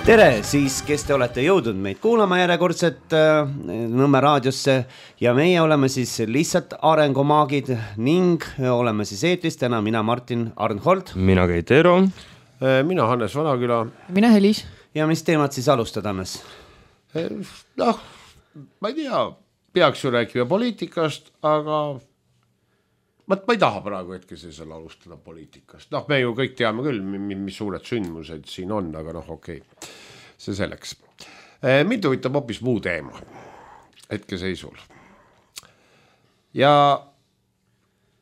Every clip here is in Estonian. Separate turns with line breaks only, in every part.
Tere siis, kes te olete jõudnud meid kuulama järjekordset Nõmme raadiosse ja meie oleme siis lihtsalt arengumaagid ning oleme siis eetris täna mina Martin Arnhold.
Mina Keit Eero.
Mina Hannes Vanaküla.
Mina Helis.
Ja mis teemad siis alustada, Hannes?
Noh, ma ei tea, peaks ju rääkima poliitikast, aga ma ei taha praegu hetkesel alustada poliitikast. Noh, me ju kõik teame küll, mis suured sündmused siin on, aga noh, okei. See selleks. Mind huvitab hoopis muu teema hetkeseisul. Ja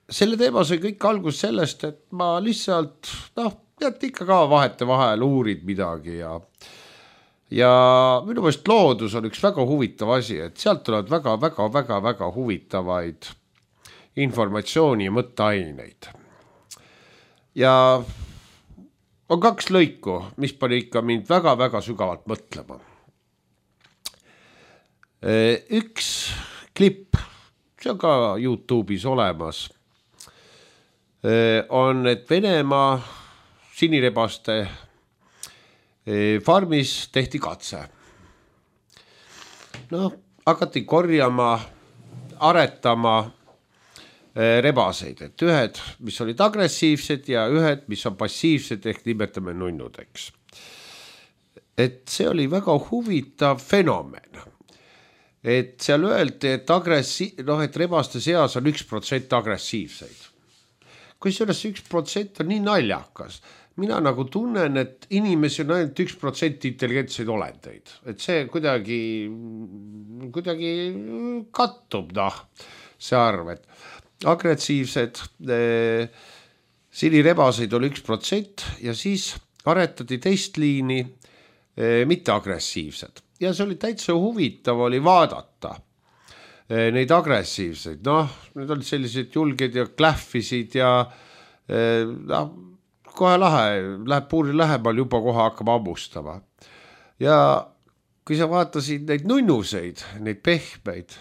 selle teema sai kõik algus sellest, et ma lihtsalt, tead ikka ka vahete vahel uurid midagi ja minu meelest loodus on üks väga huvitav asi, et sealt tulevad väga huvitavaid informatsiooni ja mõtteaineid. Ja on kaks lõiku, mis pani ikka mind väga sügavalt mõtlema. Üks klipp, see on ka YouTube'is olemas, on, et Venemaa sinirebaste farmis tehti katse. Hakati korjama, aretama rebaseid, et ühed, mis olid agressiivsed ja ühed, mis on passiivsed, ehk nimetame nunnudeks. Et see oli väga huvitav fenomen. Et seal öeldi, et rebaste seas on 1% agressiivseid. Kui selles 1% on nii naljakas, mina nagu tunnen, et inimesi on ainult 1% intelligentseid olendeid. Et see kuidagi kattub, see arv, et agressiivsed sinirebaseid oli 1% ja siis aretati teist liini mitte agressiivsed. Ja see oli täitsa huvitav oli vaadata neid agressiivseid. Need olid sellised julged ja klähvisid ja kohe lahe, läheb puuri lähemal, juba kohe hakkab ammustama. Ja kui sa vaatasid neid nunnuseid, neid pehmeid,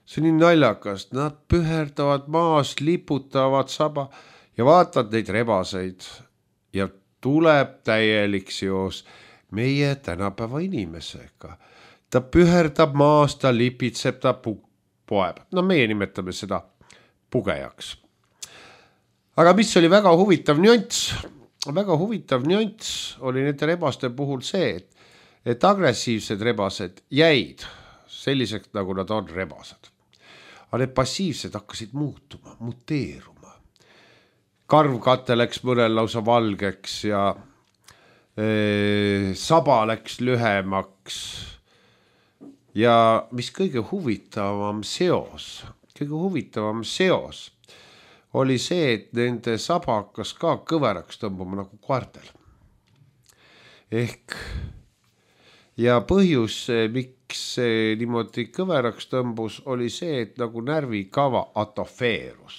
see on nii naljakast, nad püherdavad maas, liputavad saba ja vaatavad neid rebaseid ja tuleb täielik seos meie tänapäeva inimesega. Ta püherdab maas, ta lipitseb, ta poeb. Meie nimetame seda pugejaks. Aga mis oli väga huvitav nüanss oli nende rebaste puhul see, et agressiivsed rebased jäid selliseks, nagu nad on rebased. Aga need passiivsed hakkasid muutuma, muteeruma. Karvkate läks mõnel lausa valgeks ja saba läks lühemaks. Ja mis kõige huvitavam seos oli see, et nende saba hakkas ka kõveraks tõmbama nagu koertel. Ja põhjus, miks see niimoodi kõveraks tõmbus, oli see, et nagu närvikava atofeerus.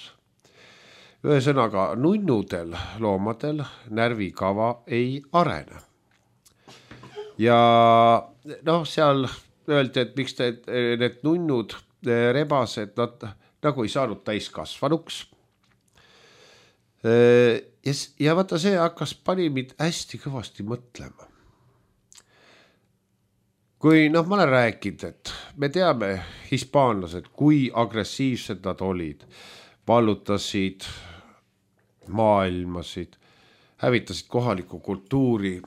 Ühesõnaga, nunnudel loomadel närvikava ei arene. Ja seal öeldi, et miks need nunnud rebased, nad nagu ei saanud täiskasvanuks. Ja vaata see hakkas pani mind hästi kõvasti mõtlema. Kui ma olen rääkinud, et me teame hispaanlased, kui agressiivsed nad olid, vallutasid maailmasid, hävitasid kohaliku kultuuri.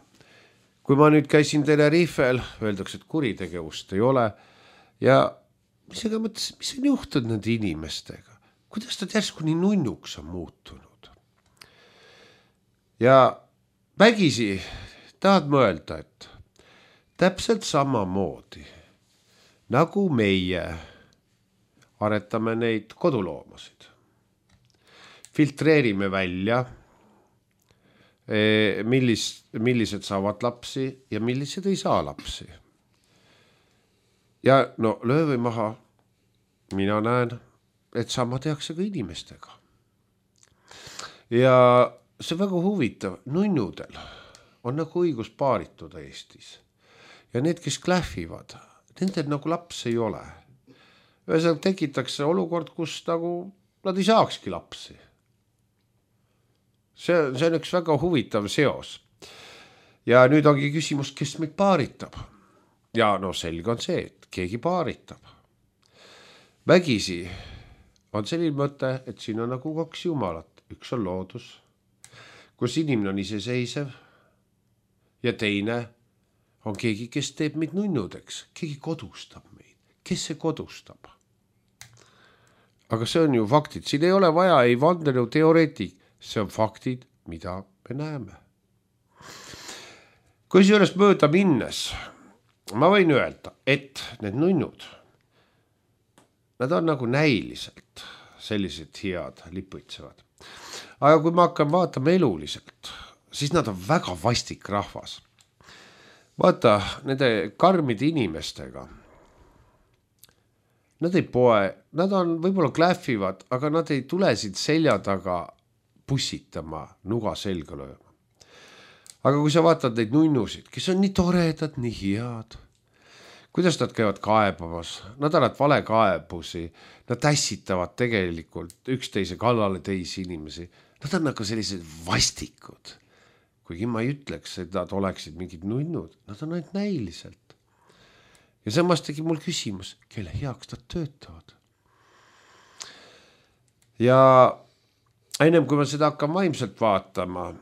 Kui ma nüüd käisin Tenerifel, öeldakse, et kuritegevust ei ole ja mis on juhtunud nende inimestega? Kuidas ta järsku nii nunnuks on muutunud? Ja vägisi tahad mõelda, et täpselt samamoodi, nagu meie aretame neid koduloomasid. Filtreerime välja, millised saavad lapsi ja millised ei saa lapsi. Ja löövi maha, mina näen, et sama tehakse ka inimestega. Ja see väga huvitav, nunnudel on nagu õigus paarituda Eestis. Ja need, kes klähvivad, nendel nagu laps ei ole. Ühesõnaga tekitakse olukord, kus nagu nad ei saakski lapsi. See on üks väga huvitav seos. ja nüüd ongi küsimus, kes meid paaritab. Ja no selge on see, et keegi paaritab. Vägisi on selline mõte, et siin on nagu kaks jumalat. Üks on loodus, kus inimene on iseseisev ja teine on keegi, kes teeb meid nunnudeks. Keegi kodustab meid. Kes see kodustab? Aga see on ju faktid. Siin ei ole vaja ei vandenõu teoreetik. See on faktid, mida me näeme. Kui sellest mööda minnes, ma võin öelda, et need nunnud, nad on nagu näiliselt sellised head, liputsevad. Aga kui ma hakkan vaatama eluliselt, siis nad on väga vastik rahvas. Vaata, nende karmide inimestega, nad ei poe, nad on võib-olla klähvivad, aga nad ei tule siit selja taga pussitama, nuga selga lööma. Aga kui sa vaatad neid nunnusid, kes on nii toredad, nii head, kuidas nad käivad kaebamas, nad annavad vale kaebusi, nad ässitavad tegelikult üksteise kallale teisi inimesi. Nad on nagu sellised vastikud. Kuigi ma ei ütleks, et nad oleksid mingid nunnud, nad on ainult näiliselt. Ja samas tegi mul küsimus, kelle heaks nad töötavad. Ja ennem kui ma seda hakkan vaimselt vaatama,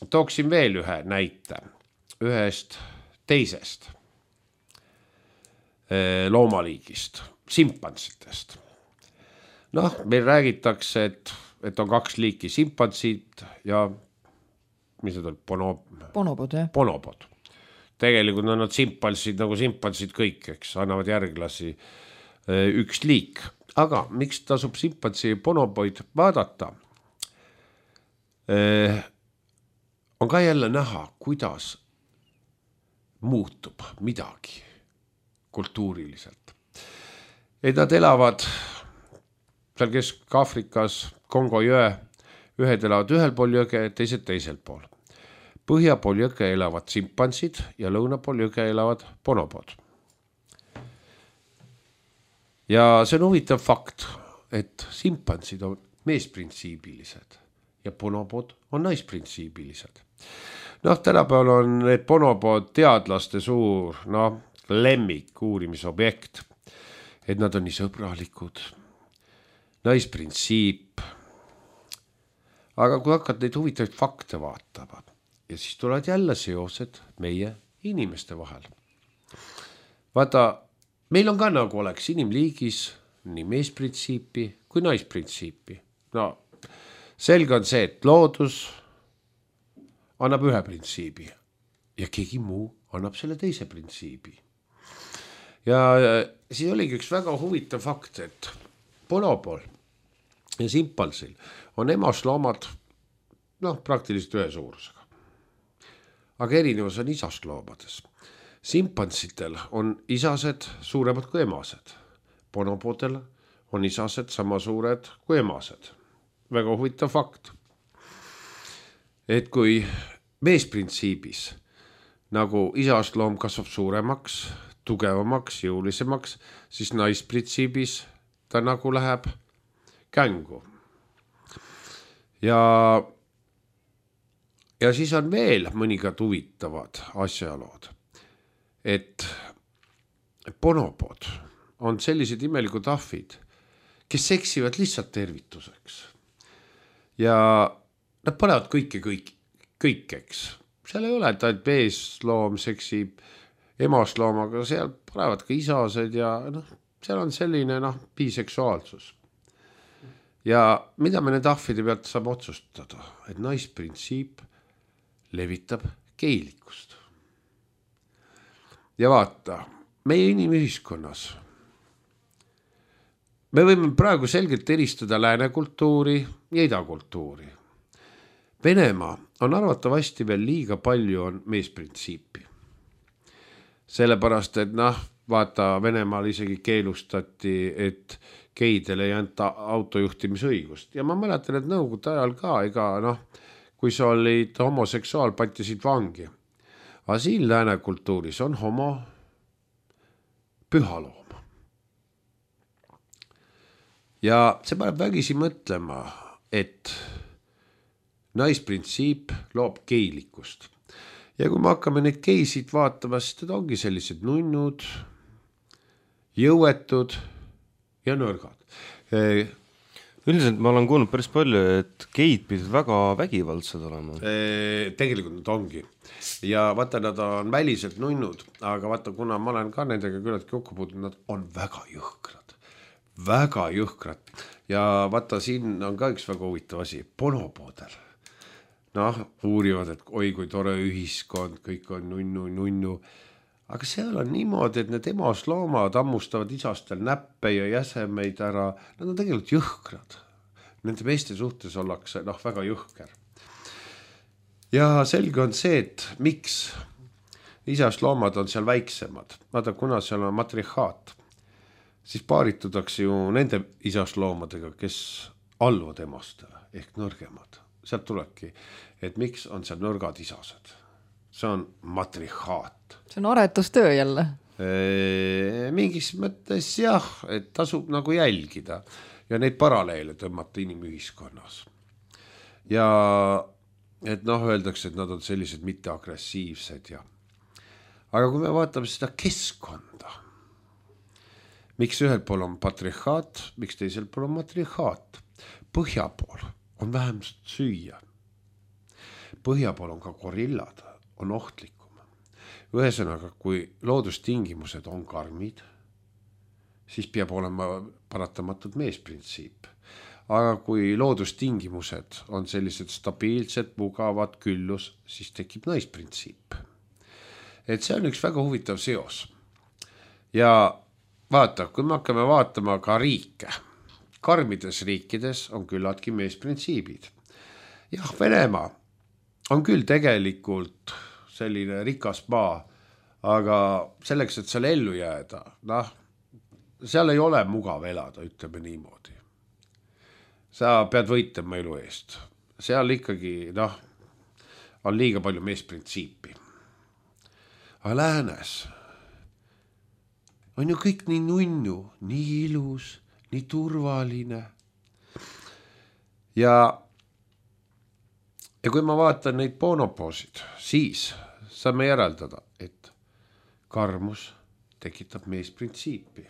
tooksin veel ühe näite ühest teisest loomaliigist, simpansitest. Noh, meil räägitakse, et on kaks liiki simpansid ja mis need on?
Bonobod, jah.
Bonobod. Tegelikult on nad simpansid nagu simpansid kõik, eks, annavad järglasi üks liik. Aga miks tasub simpansi ja bonoboid vaadata? On ka jälle näha, kuidas muutub midagi kultuuriliselt. Et nad elavad seal Kesk-Afrikas, Kongo jõe, ühed elavad ühel pool jõge, teised teisel pool. Põhja pool jõge elavad simpansid ja lõuna pool jõge elavad bonobod. Ja see on huvitav fakt, et simpansid on meesprintsiibilised ja bonobod on naisprintsiibilised. Noh, tänapäeval on need bonobod teadlaste suur lemmik uurimisobjekt, et nad on nii sõbralikud, naisprintsiip. Aga kui hakkad neid huvitavaid fakte vaatama ja siis tulevad jälle seosed meie inimeste vahel. Vaata, meil on ka nagu oleks inimliigis nii meesprintsiipi kui naisprintsiipi. No, selge on see, et loodus annab ühe printsiibi ja keegi muu annab selle teise printsiibi. Ja siis oligi üks väga huvitav fakt, et bonobol ja simpansil on emasloomad praktiliselt ühe suurusega. Aga erinevus on isasloomades. Simpansitel on isased suuremad kui emased. Bonobodel on isased sama suured kui emased. Väga huvitav fakt. Et kui meesprintsiibis nagu isasloom kasvab suuremaks, tugevamaks, jõulisemaks, siis naisprintsiibis ta nagu läheb kängu. Ja siis on veel mõningad huvitavad asjalood, et bonobod on sellised imelikud ahvid, kes seksivad lihtsalt tervituseks. Ja nad panevad kõikeks. Seal ei ole, et ainult meesloom seksib emasloomaga, seal panevad ka isased ja seal on selline biseksuaalsus. Ja mida me need ahvide pealt saab otsustada, et naisprintsiip levitab geilikust. Ja vaata, meie inimühiskonnas me võime praegu selgelt eristada läänekultuuri ja idakultuuri. Venemaa on arvatavasti veel liiga palju on meesprintsiipi. Sellepärast, et vaata, Venemaal isegi keelustati, et geidele ei anta autojuhtimisõigust. Ja ma mäletan, et nõukogude ajal ka, kui sa olid homoseksuaal, patisid vangi. Aga siin läänekultuuris on homo pühaloom. Ja see paneb vägisi mõtlema, et naisprintsiip loob geilikust. ja kui me hakkame neid geisid vaatama, siis need ongi sellised nunnud, jõuetud ja nõrgad.
Üldiselt ma olen kuulnud päris palju, et geid pidid väga vägivaldsed olema.
Tegelikult nad ongi. Ja vaata, nad on väliselt nunnud, aga vaata, kuna ma olen ka nendega küllaltki kokku puutunud, nad on väga jõhkrad. Väga jõhkrad. Ja vaata, siin on ka üks väga huvitav asi. Bonoboodel. Uurivad, et oi kui tore ühiskond, kõik on nunnu. Aga seal on niimoodi, et need emasloomad ammustavad isastel näppe ja jäsemeid ära. Nad on tegelikult jõhkrad. Nende meeste suhtes ollakse väga jõhker. Ja selge on see, et miks isasloomad on seal väiksemad. Vaata, kuna seal on matrihaat, siis paaritutakse ju nende isasloomadega, kes alluvad emastele ehk nõrgemad. Sealt tulebki, et miks on seal nõrgad isased. See on matrihaat.
See on aretustöö jälle.
Mingis mõttes jah, et tasub nagu jälgida ja neid paralleele tõmmata inimühiskonnas. Ja et öeldakse, et nad on sellised mitteagressiivsed ja. Aga kui me vaatame seda keskkonda, miks ühel pool on patrihaat, miks teisel pool on matrihaat? Põhja pool on vähem süüa. Põhja pool on ka gorillad, on ohtlikum. Ühesõnaga, kui loodustingimused on karmid, siis peab olema paratamatult meesprintsiip. Aga kui loodustingimused on sellised stabiilsed, mugavad, küllus, siis tekib naisprintsiip. Et see on üks väga huvitav seos. Ja vaata, kui me hakkame vaatama ka riike, karmides riikides on küllaltki meesprintsiibid. Jah, Venemaa on küll tegelikult selline rikas maa, aga selleks, et seal ellu jääda, seal ei ole mugav elada, ütleme niimoodi. Sa pead võitlema elu eest. Seal ikkagi, on liiga palju meesprintsiipi. Aga läänes on ju kõik nii nunnu, nii ilus, nii turvaline. Ja kui ma vaatan neid bonopoosid, siis saame järeldada, et karmus tekitab meesprintsiipi.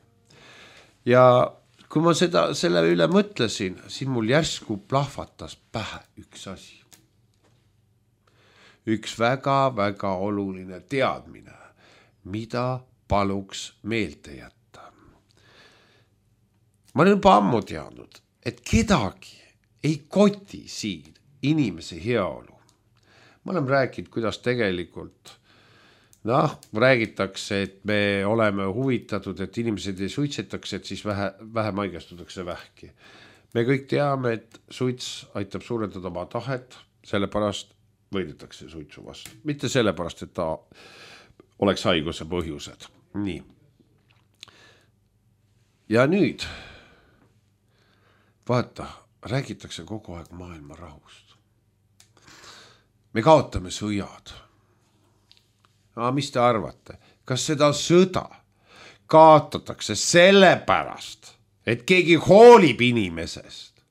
Ja kui ma selle üle mõtlesin, siis mul järsku plahvatas pähe üks asi. Üks väga-väga oluline teadmine, mida paluks meelde jätta. Ma olen juba ammu teadnud, et kedagi ei koti siin inimese heaolu. Ma olen rääkinud, kuidas tegelikult räägitakse, et me oleme huvitatud, et inimesed ei suitsetaks, et siis vähem haigestutakse vähki. Me kõik teame, et suits aitab suurendada oma tahet, sellepärast võidetakse suitsu vastu. Mitte sellepärast, et ta oleks haiguse põhjused. Nii. Ja nüüd, vaata, räägitakse kogu aeg maailma rahust. Me kaotame sõjad. Mis te arvate? Kas seda sõda kaotatakse sellepärast, et keegi hoolib inimesest?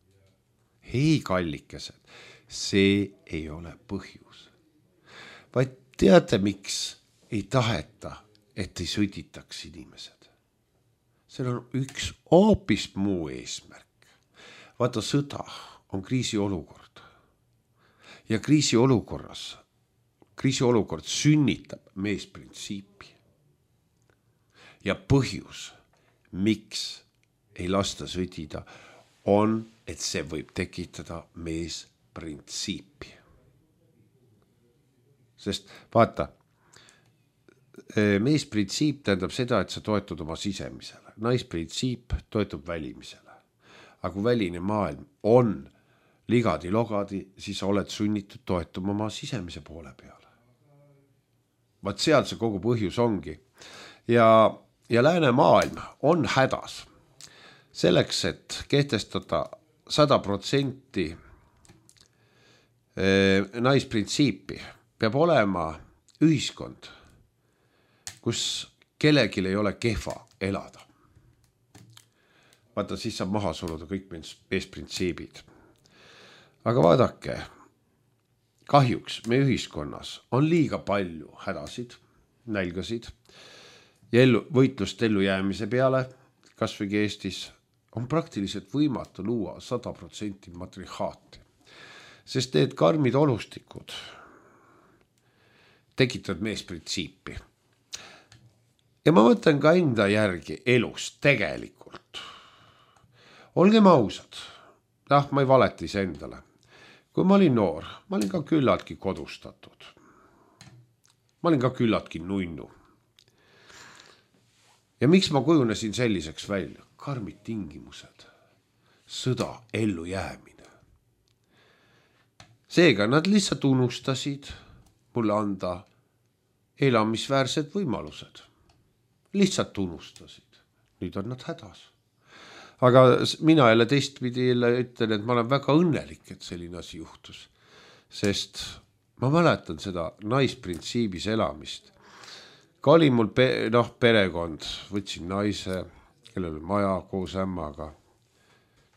Ei, kallikesed, see ei ole põhjus. Vaid teate, miks ei taheta, et ei sõditaks inimesed? Seal on üks hoopis muu eesmärk. Vaata, sõda on kriisiolukord. Ja kriisiolukord sünnitab meesprintsiipi. Ja põhjus, miks ei lasta sõdida, on, et see võib tekitada meesprintsiipi. Sest vaata, meesprintsiip tähendab seda, et sa toetud oma sisemisele. Naisprintsiip toetub välimisele. Aga kui väline maailm on ligadi-logadi, siis oled sunnitud toetuma oma sisemise poole peale. Vaat seal see kogu põhjus ongi. Ja lääne maailm on hädas. Selleks, et kehtestada 100% naisprintsiipi, peab olema ühiskond, kus kellelgi ei ole kehva elada. Vaata, siis saab maha suruda kõik meesprintsiibid. Aga vaadake, kahjuks meie ühiskonnas on liiga palju hädasid, nälgasid ja võitlust ellujäämise peale, kas või Eestis, on praktiliselt võimatu luua 100% matriarhaati. Sest need karmid olustikud tekitavad meesprintsiipi. Ja ma mõtlen ka enda järgi elus tegelikult. Olgem ausad, ma ei valeta ise endale. Kui ma olin noor, ma olin ka küllaltki kodustatud. Ma olin ka küllaltki nunnu. Ja miks ma kujunesin selliseks välja? Karmid tingimused, sõda, ellu jäämine. Seega nad lihtsalt unustasid mulle anda elamisväärsed võimalused. Lihtsalt unustasid. Nüüd on nad hädas. Aga mina jälle teistpidi ütlen, et ma olen väga õnnelik, et selline asi juhtus. Sest ma mäletan seda naisprintsiibis elamist. Ka oli mul perekond, võtsin naise, kellel oli maja koos ämmaga.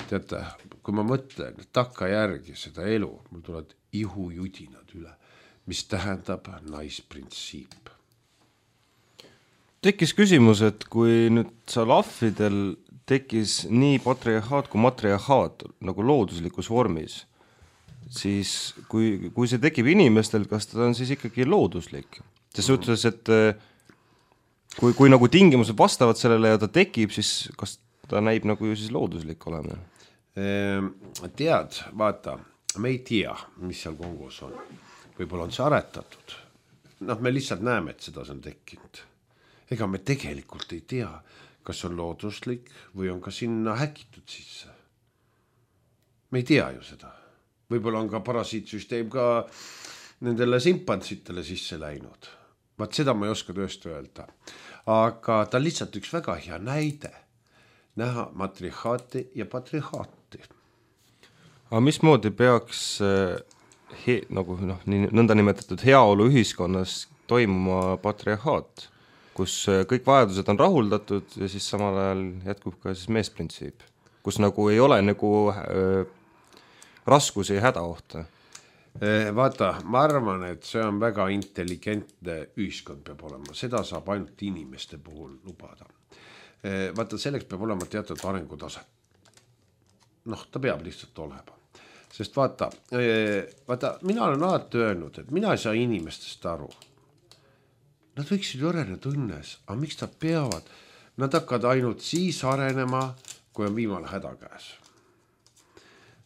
Teate, kui ma mõtlen takkajärgi seda elu, mul tulevad ihujudinad üle, mis tähendab naisprintsiip.
Tekkis küsimus, et kui nüüd sa lahvidel tekkis nii patriarhaat kui matriarhaat nagu looduslikus vormis, siis kui see tekib inimestel, kas ta on siis ikkagi looduslik? See suhtes, et kui nagu tingimused vastavad sellele ja ta tekib, siis kas ta näib nagu ju siis looduslik olema?
Tead, vaata, me ei tea, mis seal Kongos on. Võib-olla on see aretatud. Me lihtsalt näeme, et seda on tekkinud. Ega me tegelikult ei tea, kas on looduslik või on ka sinna häkitud sisse. Me ei tea ju seda. Võib-olla on ka parasiitsüsteem ka nendele simpantsitele sisse läinud. Vaat seda ma ei oska tõesti öelda. Aga ta on lihtsalt üks väga hea näide näha matriarhaati ja patriarhaati.
Aga mismoodi peaks nagu nõnda nimetatud heaolu ühiskonnas toimuma patriarhaat, kus kõik vajadused on rahuldatud ja siis samal ajal jätkub ka siis meesprintsiip, kus nagu ei ole nagu raskusi ja hädaohta?
Vaata, ma arvan, et see on väga intelligentne ühiskond peab olema. Seda saab ainult inimeste puhul lubada. Vaata, selleks peab olema teatud arengutase. Ta peab lihtsalt olema. Sest vaata, mina olen alati öelnud, et mina ei saa inimestest aru. Nad võiksid ju areneda õnnes, aga miks nad peavad? Nad hakkavad ainult siis arenema, kui on viimane häda käes.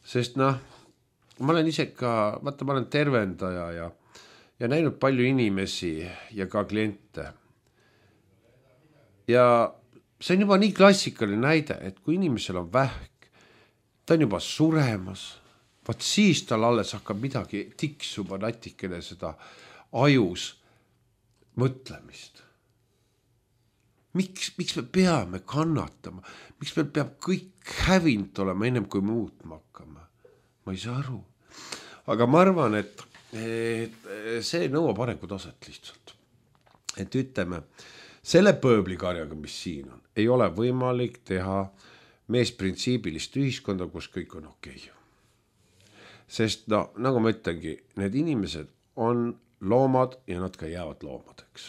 Sest ma olen ise ka, ma olen tervendaja ja näinud palju inimesi ja ka kliente. Ja see on juba nii klassikaline näide, et kui inimesel on vähk, ta on juba suremas, vaat siis tal alles hakkab midagi tiksuba natikene seda ajus mõtlemist. Miks me peame kannatama? Miks meil peab kõik hävinud olema ennem kui muutma hakkama? Ma ei saa aru. Aga ma arvan, et see nõuab arengutaset lihtsalt. Et ütleme, selle pööblikarjaga, mis siin on, ei ole võimalik teha meesprintsiibilist ühiskonda, kus kõik on okei. Sest nagu ma ütlengi, need inimesed on loomad ja nad ka jäävad loomadeks.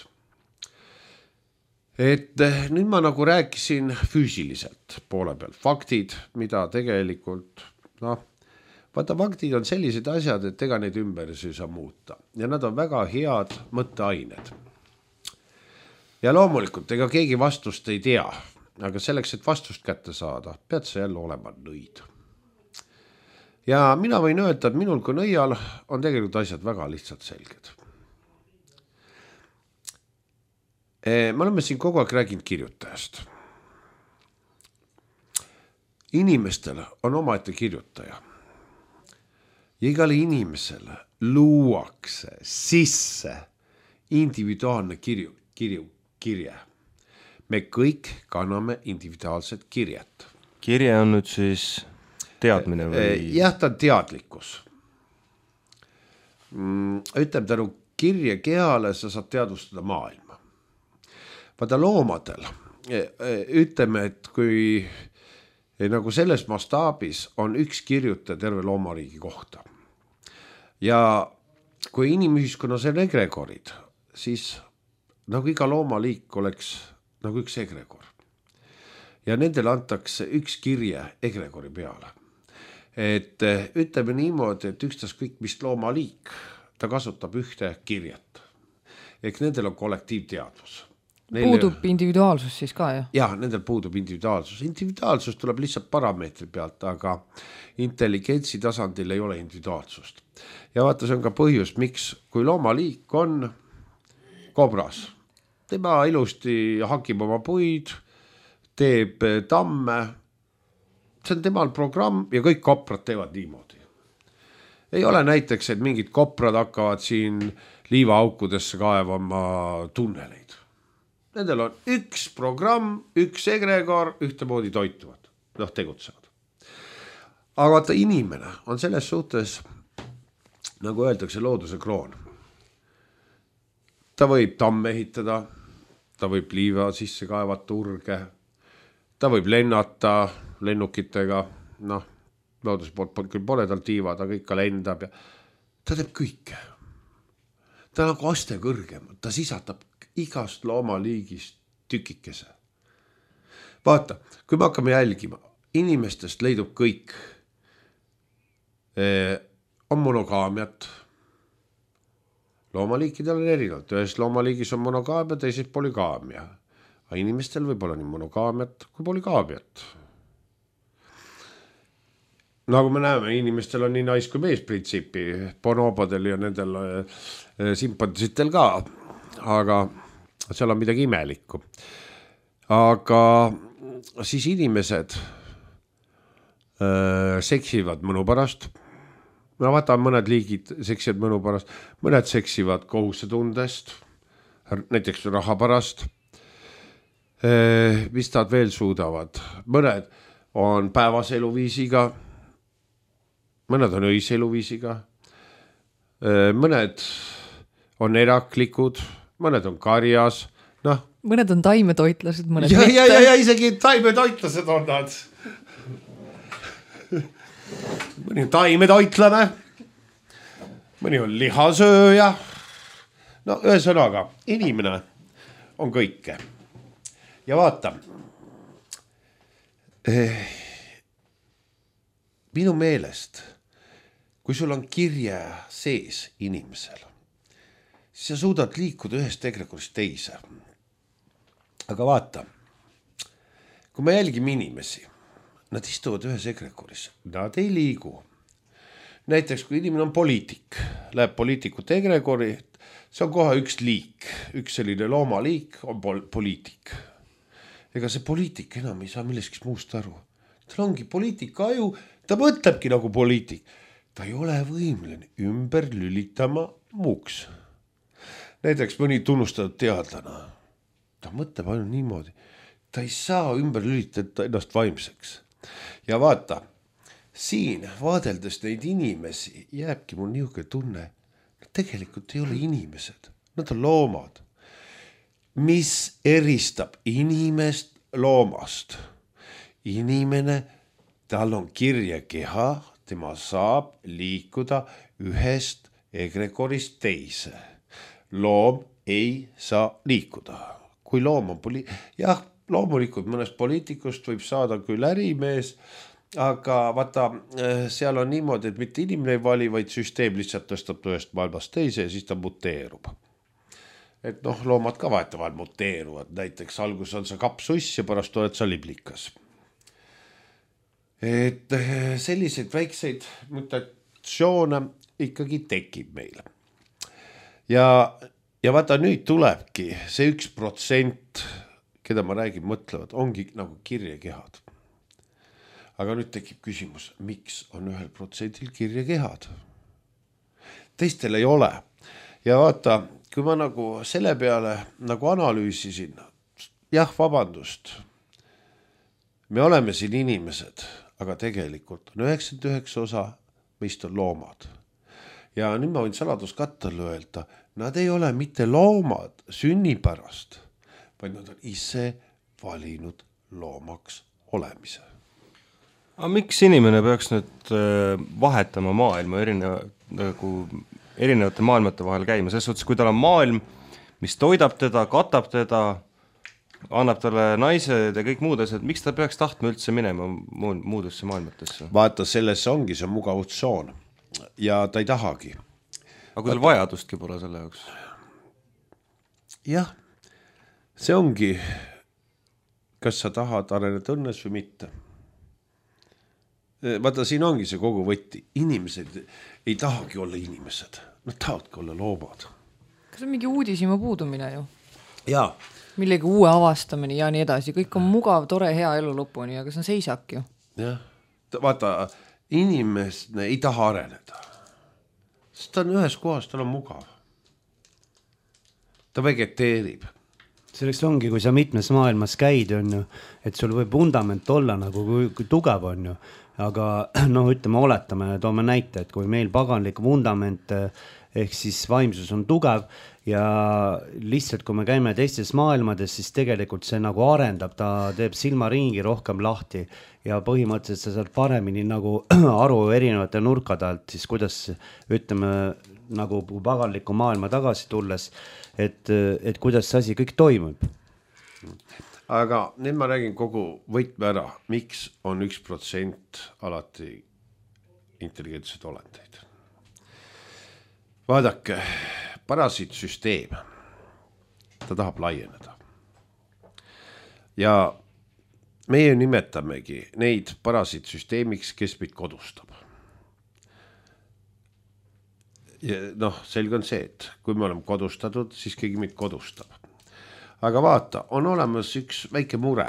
Et nüüd ma nagu rääkisin füüsiliselt poole peal. Faktid, mida tegelikult, vaata, faktid on sellised asjad, et ega neid ümber ei saa muuta. Ja nad on väga head mõtteained. Ja loomulikult, ega keegi vastust ei tea, aga selleks, et vastust kätte saada, pead sa jälle olema nõid. Ja mina võin öelda, et minul kui nõial on tegelikult asjad väga lihtsalt selged. Me oleme siin kogu aeg rääkinud kirjutajast. Inimestel on omaette kirjutaja. Ja igale inimesele luuakse sisse individuaalne kirje. Me kõik kanname individuaalset kirjet.
Kirje on nüüd siis teadmine või?
Jah, ta on teadlikkus. Ütleme tänu kirje kehale sa saad teadvustada maailma. Vaata loomadel, ütleme, et kui nagu selles mastaabis on üks kirjutaja terve loomariigi kohta. Ja kui inimühiskonnas on egregorid, siis nagu iga loomaliik oleks nagu üks egregor. Ja nendele antakse üks kirje egregori peale. Et ütleme niimoodi, et ükstaskõik mis loomaliik, ta kasutab ühte kirjet. Ehk nendel on kollektiivteadvus.
Puudub individuaalsus siis ka, jah?
Jah, nendel puudub individuaalsus. Individuaalsus tuleb lihtsalt parameetri pealt, aga intelligentsi tasandil ei ole individuaalsust. Ja vaata, see on ka põhjus, miks kui loomaliik on kobras, tema ilusti hakib oma puid, teeb tamme, see on temal programm ja kõik koprad teevad niimoodi. Ei ole näiteks, et mingid koprad hakkavad siin liivaaukudesse kaevama tunneleid. Nendel on üks programm, üks egregor, ühtemoodi toituvad, tegutsevad. Aga vaata, inimene on selles suhtes, nagu öeldakse, looduse kroon. Ta võib tamme ehitada, ta võib liiva sisse kaevata urge, ta võib lennata lennukitega, looduse poolt küll pole tal tiivad, aga ikka lendab ja ta teeb kõike. Ta nagu aste kõrgem, ta sisatab igast loomaliigist tükikese. Vaata, kui me hakkame jälgima, inimestest leidub kõik. On monogaamiat. Loomaliikidel on erinevalt. Ühes loomaliigis on monogaamia, teises polygaamia. Aga inimestel võib olla nii monogaamiat kui polygaamiat. Nagu me näeme, inimestel on nii nais kui mees printsiipi, bonobodel ja nendel simpansitel ka, aga seal on midagi imelikku. Aga siis inimesed seksivad mõnu pärast. Vaata, mõned liigid seksivad mõnu pärast, mõned seksivad kohusetundest, näiteks raha pärast. Mis nad veel suudavad? Mõned on päevase eluviisiga, mõned on öise eluviisiga, mõned on eraklikud, mõned on karjas,
mõned on taimetoitlased, mõned
ja isegi taimetoitlased on nad. Mõni on taimetoitlane, mõni on lihasööja. Ühesõnaga, inimene on kõike. Ja vaata, minu meelest, kui sul on kirje sees inimesel, siis sa suudad liikuda ühest egregorist teise. Aga vaata, kui me jälgime inimesi, nad istuvad ühes egregoris, nad ei liigu. Näiteks, kui inimene on poliitik, läheb poliitikute egregori, see on kohe üks liik, üks selline loomaliik on poliitik. Ega see poliitik enam ei saa millestki muust aru. Tal ongi poliitika aju, ta mõtlebki nagu poliitik. Ta ei ole võimeline ümber lülitama muuks. Näiteks mõni tunnustatud teadlane. Ta mõtleb ainult niimoodi. Ta ei saa ümber lülitada ennast vaimseks. Ja vaata, siin vaadeldes neid inimesi jääbki mul niisugune tunne, nad tegelikult ei ole inimesed, nad on loomad. Mis eristab inimest loomast? Inimene, tal on kirje keha, tema saab liikuda ühest egregorist teise. Loom ei saa liikuda. Kui loom on jah, loomulikult mõnest poliitikust võib saada küll ärimees, aga vaata, seal on niimoodi, et mitte inimene ei vali, vaid süsteem lihtsalt tõstab ühest maailmast teise ja siis ta muteerub. Et loomad ka vahetevahel muteeruvad. Näiteks algus on sa kapsuss ja pärast oled sa liblikas. Et selliseid väikseid mutatsioone ikkagi tekib meil. Ja vaata, nüüd tulebki see 1%, keda ma räägin, mõtlevad, ongi nagu kirjekehad. Aga nüüd tekib küsimus, miks on 1% kirjekehad? Teistel ei ole. Ja vaata, kui ma nagu selle peale nagu analüüsisin, jah, vabandust, me oleme siin inimesed, aga tegelikult on 99 osa meist on loomad. Ja nüüd ma võin saladuskattele öelda, nad ei ole mitte loomad sünnipärast, vaid nad on ise valinud loomaks olemise.
Aga miks inimene peaks nüüd vahetama maailma erineva nagu erinevate maailmate vahel käima, selles suhtes, kui tal on maailm, mis toidab teda, katab teda, annab talle naised ja kõik muud asjad, miks ta peaks tahtma üldse minema muudesse maailmatesse?
Vaata, sellesse ongi see mugavustsoon ja ta ei tahagi.
Aga kui tal vajadustki pole selle jaoks?
Jah, see ongi, kas sa tahad areneda õnnes või mitte. Vaata, siin ongi see kogu võtti. Inimesed ei tahagi olla inimesed, nad tahavadki olla loomad.
Kas on mingi uudisima puudumine ju?
Jaa.
Millegi uue avastamine ja nii edasi. Kõik on mugav, tore, hea elu lõpuni, aga see on seisak ju.
Jah. Vaata, inimene ei taha areneda. Sest ta on ühes kohas, tal on mugav. Ta vegeteerib.
Selleks ongi, kui sa mitmes maailmas käid, on ju, et sul võib vundament olla nagu kui tugev on ju. Aga noh, ütleme, oletame, toome näite, et kui meil paganlik vundament ehk siis vaimsus on tugev ja lihtsalt kui me käime teistes maailmades, siis tegelikult see nagu arendab, ta teeb silmaringi rohkem lahti ja põhimõtteliselt sa saad paremini nagu aru erinevate nurkade alt, siis kuidas ütleme nagu paganliku maailma tagasi tulles, et kuidas see asi kõik toimub.
Aga nüüd ma räägin kogu võtme ära, miks on 1% alati intelligentsed olendeid. Vaadake, parasiitsüsteem, ta tahab laieneda. Ja meie nimetamegi neid parasiitsüsteemiks, kes meid kodustab. Ja noh, selge on see, et kui me oleme kodustatud, siis keegi meid kodustab. Aga vaata, on olemas üks väike mure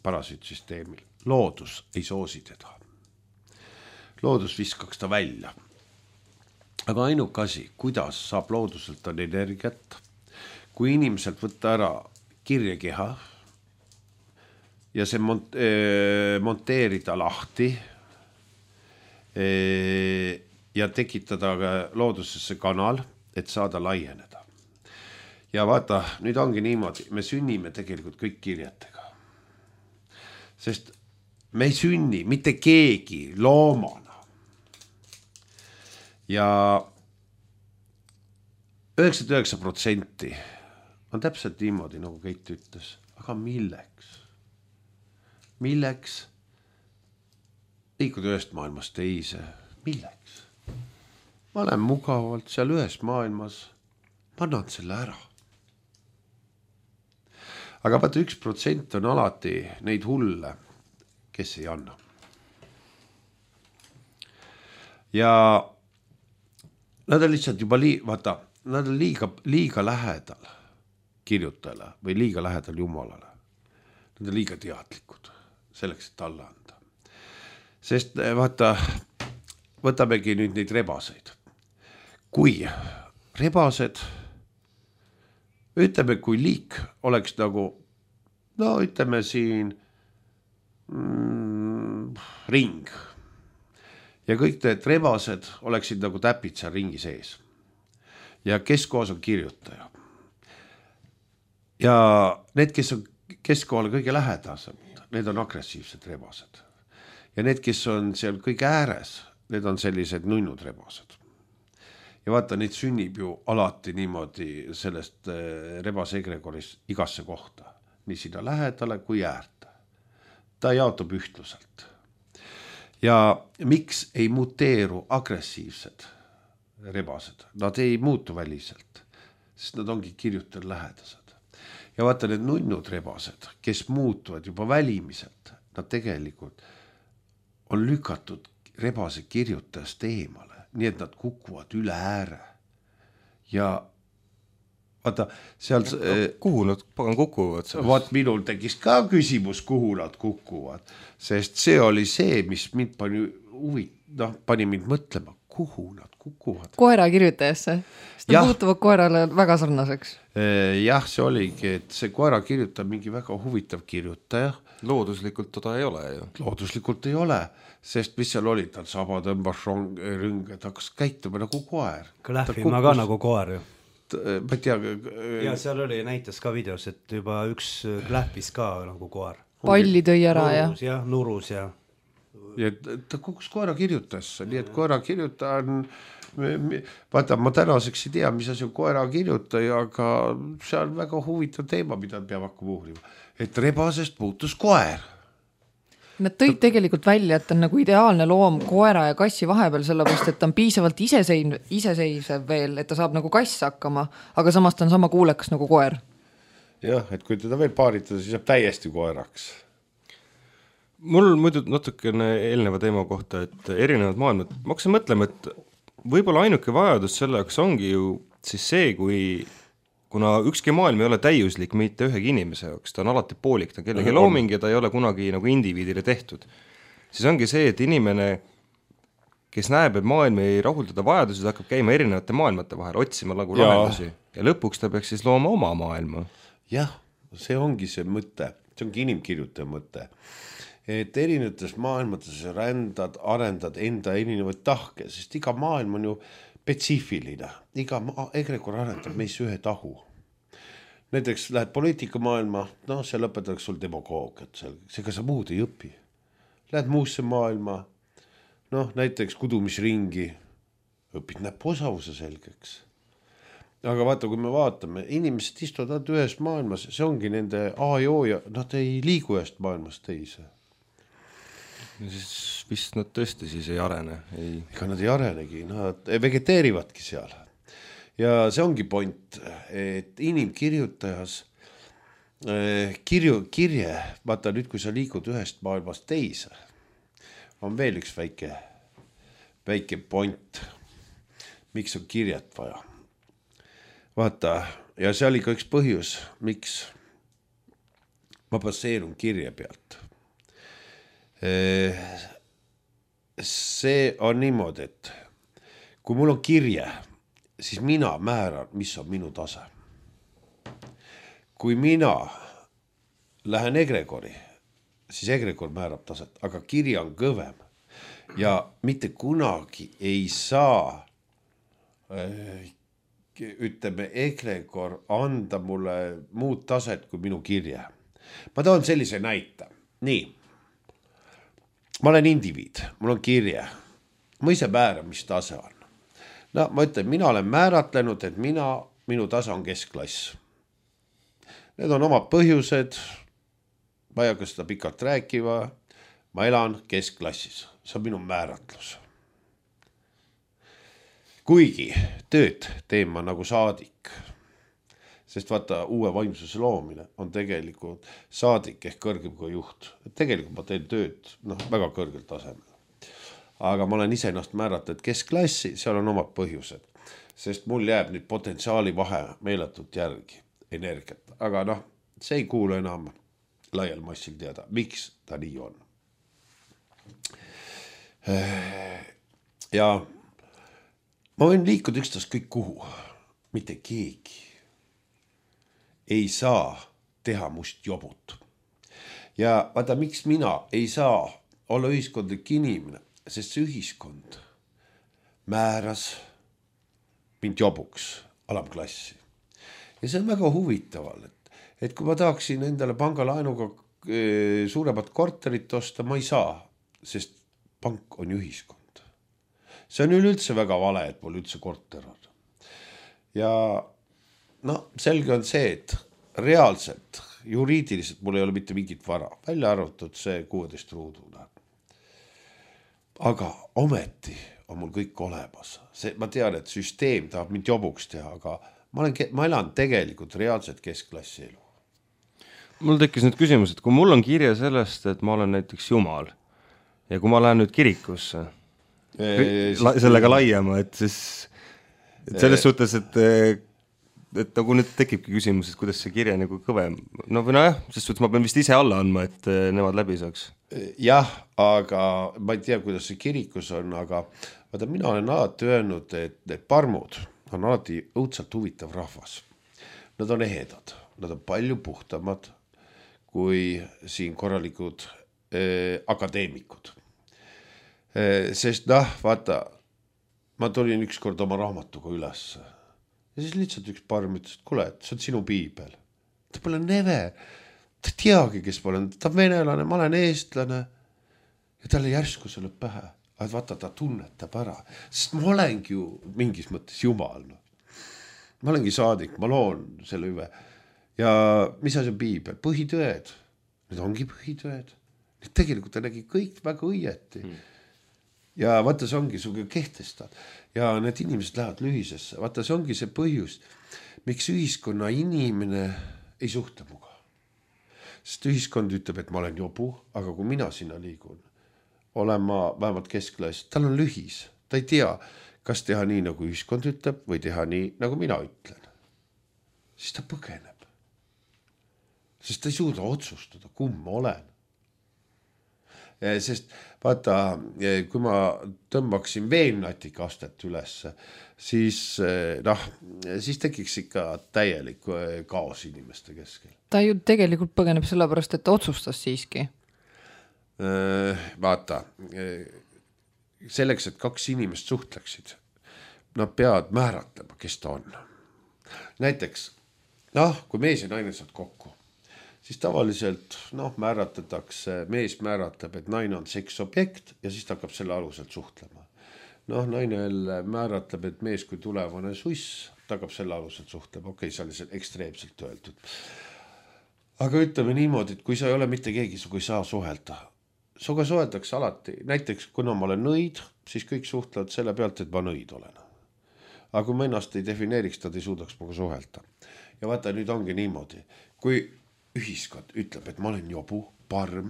parasiitsüsteemil. Loodus ei soosi teda. Loodus viskaks ta välja. Aga ainuke asi, kuidas saab looduselt on energiat, kui inimeselt võtta ära kirjekeha ja see monteerida lahti ja tekitada loodusesse kanal, et saada laieneda. Ja vaata, nüüd ongi niimoodi, me sünnime tegelikult kõik kirjetega. Sest me ei sünni mitte keegi loomana. Ja 99% on täpselt niimoodi, nagu Keit ütles. Aga milleks? Milleks? Liikuda ühest maailmast teise. Milleks? Ma olen mugavalt seal ühes maailmas. Ma annan selle ära. Aga vaata 1% on alati neid hulle, kes ei anna. Ja nad on lihtsalt juba vaata, nad on liiga lähedal kirjutajale või liiga lähedal Jumalale. Nad on liiga teadlikud selleks, et alla anda. Sest vaata, võtamegi nüüd neid rebaseid. Kui rebased ütleme, kui liik oleks nagu, no ütleme siin ring ja kõik need rebased oleksid nagu täpid seal ringi sees ja keskkohas on kirjutaja ja need, kes on keskkohale kõige lähedasemad, need on agressiivsed rebased ja need, kes on seal kõige ääres, need on sellised nunnud rebased. Ja vaata, neid sünnib ju alati niimoodi sellest rebase egregoris igasse kohta. Nii sinna lähedale kui äärta. Ta jaotub ühtluselt. Ja miks ei muteeru agressiivsed rebased? Nad ei muutu väliselt, sest nad ongi kirjutajal lähedased. Ja vaata, need nunnud rebased, kes muutuvad juba välimiselt, nad tegelikult on lükatud rebase kirjutajast eemale. Nii et nad kukuvad üle ääre. Ja vaata, seal...
Kuhu nad pagan kukuvad?
Vaat minul tekkis ka küsimus, kuhu nad kukuvad. Sest see oli see, mis mind pani mind mõtlema, kuhu nad kukuvad.
Koera kirjutajasse. Sest nad muutuvad koerale väga sarnaseks.
Jah, see oligi, et see koera kirjutab mingi väga huvitav kirjutaja.
Looduslikult teda ei ole ju.
Looduslikult ei ole, sest mis seal oli, tal saba tõmbas rõnge, ta hakkas käituma nagu koer.
Klähvima ka nagu koer ju.
Ma ei tea.
Ja seal oli näitas ka videos, et juba üks klähvis ka nagu koer.
Palli tõi ära
nurus, ja. Nurus ja.
ja ta kukkus koera kirjutasse, nii et koera kirjutaja on, vaata, ma tänaseks ei tea, mis asi on koera kirjutaja, aga see on väga huvitav teema, mida peab hakkama uurima, et rebasest muutus koer.
Nad tõid tegelikult välja, et on nagu ideaalne loom koera ja kassi vahepeal, sellepärast, et ta on piisavalt iseseisev veel, et ta saab nagu kass hakkama, aga samas ta on sama kuulekas nagu koer.
Jah, et kui teda veel paaritada, siis saab täiesti koeraks.
Mul muidu natukene eelneva teema kohta, et erinevad maailmad, ma hakkasin mõtlema, et võib-olla ainuke vajadus selle jaoks ongi ju siis see, kuna ükski maailm ei ole täiuslik mitte ühegi inimese jaoks, ta on alati poolik, ta on kellegi looming ja ta ei ole kunagi nagu indiviidile tehtud. Siis ongi see, et inimene, kes näeb, et maailm ei rahuldada vajadusi, ta hakkab käima erinevate maailmate vahel, otsima nagu lahendusi ja lõpuks ta peaks siis looma oma maailma.
Jah, see ongi see mõte, see ongi inimkirjutaja mõte, et erinevates maailmates rändad, arendad enda erinevaid tahke, sest iga maailm on ju spetsiifiline, iga egrekor arendab meis ühe tahu. Näiteks lähed poliitikamaailma, see lõpetatakse sul demagoogiat, seega sa muud ei õpi. Lähed muusse maailma, näiteks kudumisringi, õpid näpuosavuse selgeks. Aga vaata, kui me vaatame, inimesed istuvad ühes maailmas, see ongi nende A ja O ja nad ei liigu ühest maailmast teise.
Siis vist nad tõesti siis ei arene.
Ega nad ei arenegi, nad vegeteerivadki seal. Ja see ongi point, et inimkirjutajas kirje, vaata nüüd, kui sa liigud ühest maailmast teise, on veel üks väike point, miks on kirjet vaja. Vaata, ja see oli ka üks põhjus, miks ma baseerun kirje pealt. See on niimoodi, et kui mul on kirje, siis mina määran, mis on minu tase. Kui mina lähen egregori, siis egregor määrab taset, aga kirja on kõvem ja mitte kunagi ei saa ütleme egregor anda mulle muud taset kui minu kirje. Ma toon sellise näite. Nii. Ma olen indiviid, mul on kirje, ma ise määran, mis tase on. Ma ütlen, mina olen määratlenud, et minu tase on keskklass. Need on omad põhjused, ma ei hakka seda pikalt rääkiva, ma elan keskklassis, see on minu määratlus. Kuigi tööd teen ma nagu saadik, sest vaata, uue vaimsuse loomine on tegelikult saadik ehk kõrgem kui juht. Tegelikult ma teen tööd väga kõrgel tasemel. Aga ma olen ise ennast määratlenud keskklassi, seal on omad põhjused. Sest mul jääb nüüd potentsiaali vahe meeletult järgi, energiat. Aga see ei kuulu enam laial massil teada, miks ta nii on. Ja ma võin liikuda üksteist kõik kuhu, mitte keegi ei saa teha must jobut. Ja vaata, miks mina ei saa olla ühiskondlik inimene, sest see ühiskond määras mind jobuks alamklassi. Ja see on väga huvitaval, et kui ma tahaksin endale pangalaenuga suuremat korterit osta, ma ei saa, sest pank on ühiskond. See on üleüldse väga vale, et mul üldse korter on. Ja selge on see, et reaalselt, juriidiliselt mul ei ole mitte mingit vara, välja arvatud see 16 ruuduna. Aga ometi on mul kõik olemas. Ma tean, et süsteem tahab mind jobuks teha, aga ma elan tegelikult reaalselt keskklassi elu.
Mul tekkis nüüd küsimus, et kui mul on kirja sellest, et ma olen näiteks Jumal ja kui ma lähen nüüd kirikusse, sellega laiema, et siis selles suhtes, et nagu nüüd tekibki küsimus, et kuidas see kirja nagu kõvem. Sest suhtes ma pean vist ise alla andma, et nemad läbi saaks.
Jah, aga ma ei tea, kuidas see kirikus on, aga vaata, mina olen alati öelnud, et need parmud on alati õudselt huvitav rahvas. Nad on ehedad, nad on palju puhtamad kui siin korralikud akadeemikud. Sest vaata, ma tulin ükskord oma raamatuga üles ja siis lihtsalt üks parm ütles, et kuule, see on sinu piibel. Ta pole neve, ta teagi, kes ma olen, ta on venelane, ma olen eestlane. ja talle järsku see lööb pähe, et vaata, ta tunnetab ära, sest ma olengi ju mingis mõttes jumal. No. Ma olengi saadik, ma loon selle hüve. Ja mis asi on piibel? Põhitõed. Need ongi põhitõed. Need tegelikult ta nägi kõik väga õieti. Ja vaata, see ongi suge kehtestad. Ja need inimesed lähevad lühisesse. Vaata, see ongi see põhjus, miks ühiskonna inimene ei suhtle muga. Sest ühiskond ütleb, et ma olen jobu, aga kui mina sinna liigun, olen ma vähemalt keskklass, tal on lühis. Ta ei tea, kas teha nii, nagu ühiskond ütleb, või teha nii, nagu mina ütlen. Siis ta põgeneb. Sest ta ei suuda otsustada, kumb ma olen. Sest vaata, kui ma tõmbaksin veennatika astet üles, siis tekiks ikka täielik kaos inimeste keskel.
Ta ju tegelikult põgeneb sellepärast, et ta otsustas siiski.
Vaata, selleks, et kaks inimest suhtleksid, nad peavad määratlema, kes ta on. Näiteks, kui mees ja naine saad kokku, siis tavaliselt mees määratleb, et naine on seksobjekt ja siis ta hakkab selle aluselt suhtlema. Naine määratleb, et mees kui tulevane suss, ta hakkab selle aluselt suhtlema. Okei, see oli seal ekstreemselt öeldud. Aga ütleme niimoodi, et kui sa ei ole mitte keegi, sa ei saa suhelda. Suga suheldakse alati. Näiteks, kuna ma olen nõid, siis kõik suhtlevad selle pealt, et ma nõid olen. Aga kui ma ennast ei defineeriks, tad ei suudaks muga suhelda. Ja vaata, nüüd ongi niimoodi. Kui ühiskond ütleb, et ma olen jobu, parm.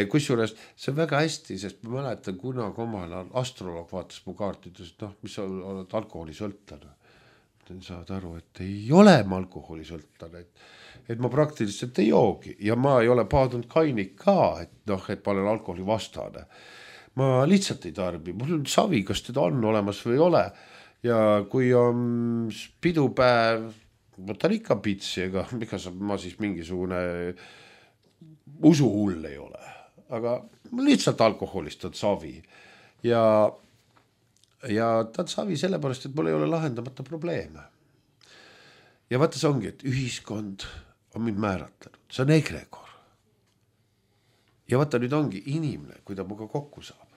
Kusjuures see on väga hästi, sest ma mäletan kunagi omal astroloog vaatas mu kaartides, mis sa oled alkoholisõltlane. Saad aru, et ei ole ma alkoholisõltlane, et ma praktiliselt ei joogi ja ma ei ole paadunud kainik ka, et ma olen alkoholi vastane. Ma lihtsalt ei tarbi, mul on savi, kas teda on olemas või ei ole. Ja kui on pidupäev, võtan ikka pitsi, ega ma siis mingisugune usuhull ei ole, aga lihtsalt alkoholist on savi ja ta on savi sellepärast, et mul ei ole lahendamata probleeme. Ja vaata, see ongi, et ühiskond on mind määratlenud, see on egregor. Ja vaata, nüüd ongi inimene, kui ta muga kokku saab.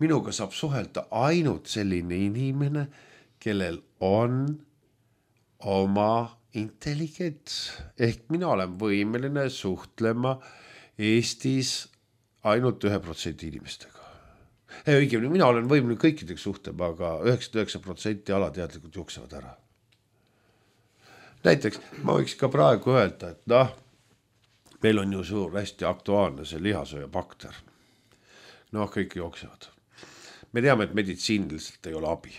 Minuga saab suhelda ainult selline inimene, kellel on oma intelligents. Ehk mina olen võimeline suhtlema Eestis ainult 1% inimestega. Õigemini, mina olen võimeline kõikidega suhtlema, aga 99% alateadlikult jooksevad ära. Näiteks, ma võiks ka praegu öelda, et meil on ju suur hästi aktuaalne see lihasööja bakter. Kõik jooksevad. Me teame, et meditsiiniliselt ei ole abi.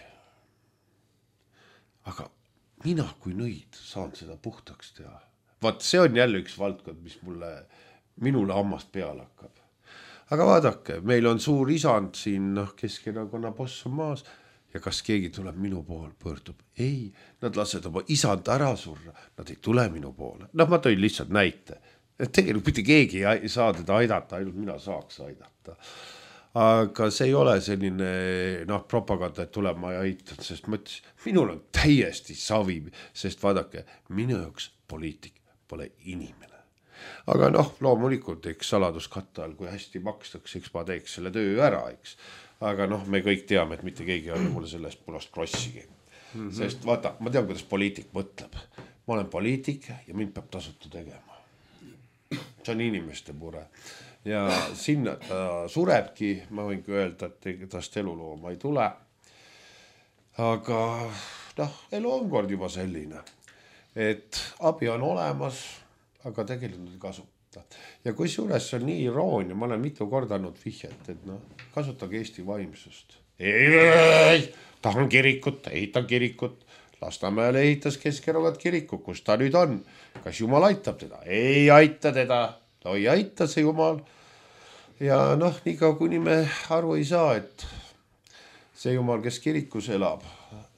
Aga mina kui nõid saan seda puhtaks teha. Vaat see on jälle üks valdkond, mis minule hammast peale hakkab. Aga vaadake, meil on suur isand siin, Keskerakonna boss on maas ja kas keegi tuleb minu poole, pöördub? Ei, nad lased oma isand ära surra, nad ei tule minu poole. Ma tõin lihtsalt näite. Tegelikult mitte keegi ei saa teda aidata, ainult mina saaks aidata. Aga see ei ole selline propaganda, et tuleb ma ei aitan, sest mõtles, minul on täiesti savi, sest vaadake, minu jaoks poliitik pole inimene. Aga loomulikult, eks saladuskatte all, kui hästi makstakse, eks ma teeks selle töö ära, eks. Aga me kõik teame, et mitte keegi ei ole mulle sellest punast krossigi. Sest vaata, ma tean, kuidas poliitik mõtleb. Ma olen poliitik ja mind peab tasuta tegema. See on inimeste mure. Ja sinna ta surebki, ma võingi öelda, et tast elulooma ei tule. Aga elu on kord juba selline, et abi on olemas, aga tegelikult ei kasuta. Ja kui suures see on nii iroonia, ma olen mitu korda andnud vihjet, et kasutage Eesti vaimsust. Ei, tahan kirikut, ehitan kirikut. Lasnamäele ehitas Keskerakond kiriku, kus ta nüüd on. Kas Jumal aitab teda? Ei aita teda. Ei aita see Jumal. Ja niikaua kuni me aru ei saa, et see Jumal, kes kirikus elab,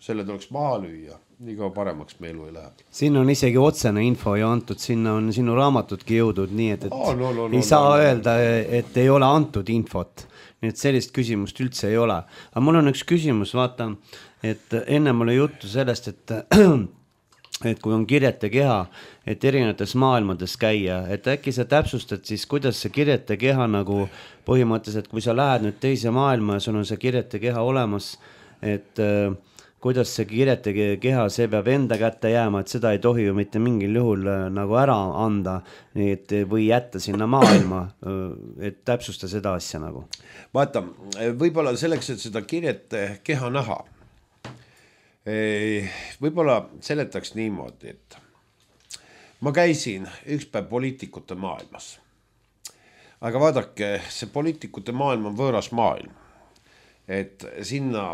selle tuleks maha lüüa. Niikaua paremaks me elu ei lähe.
Siin on isegi otsene info ja antud, sinna on sinu raamatudki jõudnud, nii et ei saa öelda, et ei ole antud infot. Nii et sellist küsimust üldse ei ole. Aga mul on üks küsimus, vaata, et enne mulle juttu sellest, et et kui on kirjete keha, et erinevates maailmades käia, et äkki sa täpsustad siis, kuidas see kirjete keha nagu põhimõtteliselt, kui sa lähed nüüd teise maailma ja sul on see kirjete keha olemas, et kuidas see kirjete keha, see peab enda kätte jääma, et seda ei tohi ju mitte mingil juhul nagu ära anda või jätta sinna maailma, et täpsusta seda asja nagu.
Vaata, võib-olla selleks, et seda kirjete keha näha, võib-olla seletaks niimoodi, et ma käisin üks päev poliitikute maailmas. Aga vaadake, see poliitikute maailm on võõras maailm. Et sinna,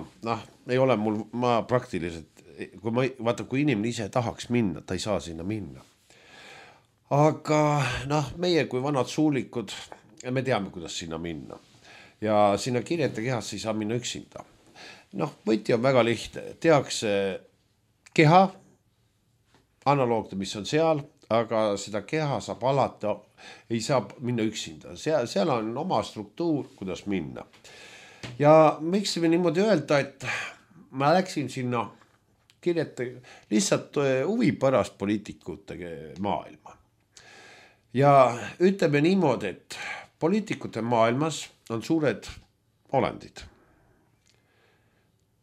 ei ole mul, ma praktiliselt, kui inimene ise tahaks minna, ta ei saa sinna minna. Aga meie kui vanad suulikud, me teame, kuidas sinna minna. Ja sinna kirjete kehasse ei saa minna üksinda. Võti on väga lihtne, tehakse keha, analoogne, mis on seal, aga seda keha saab alati, ei saa minna üksinda. Seal on oma struktuur, kuidas minna. Ja miks me niimoodi öelda, et ma läksin sinna kirjete lihtsalt huvi pärast poliitikute maailma. Ja ütleme niimoodi, et poliitikute maailmas on suured olendid.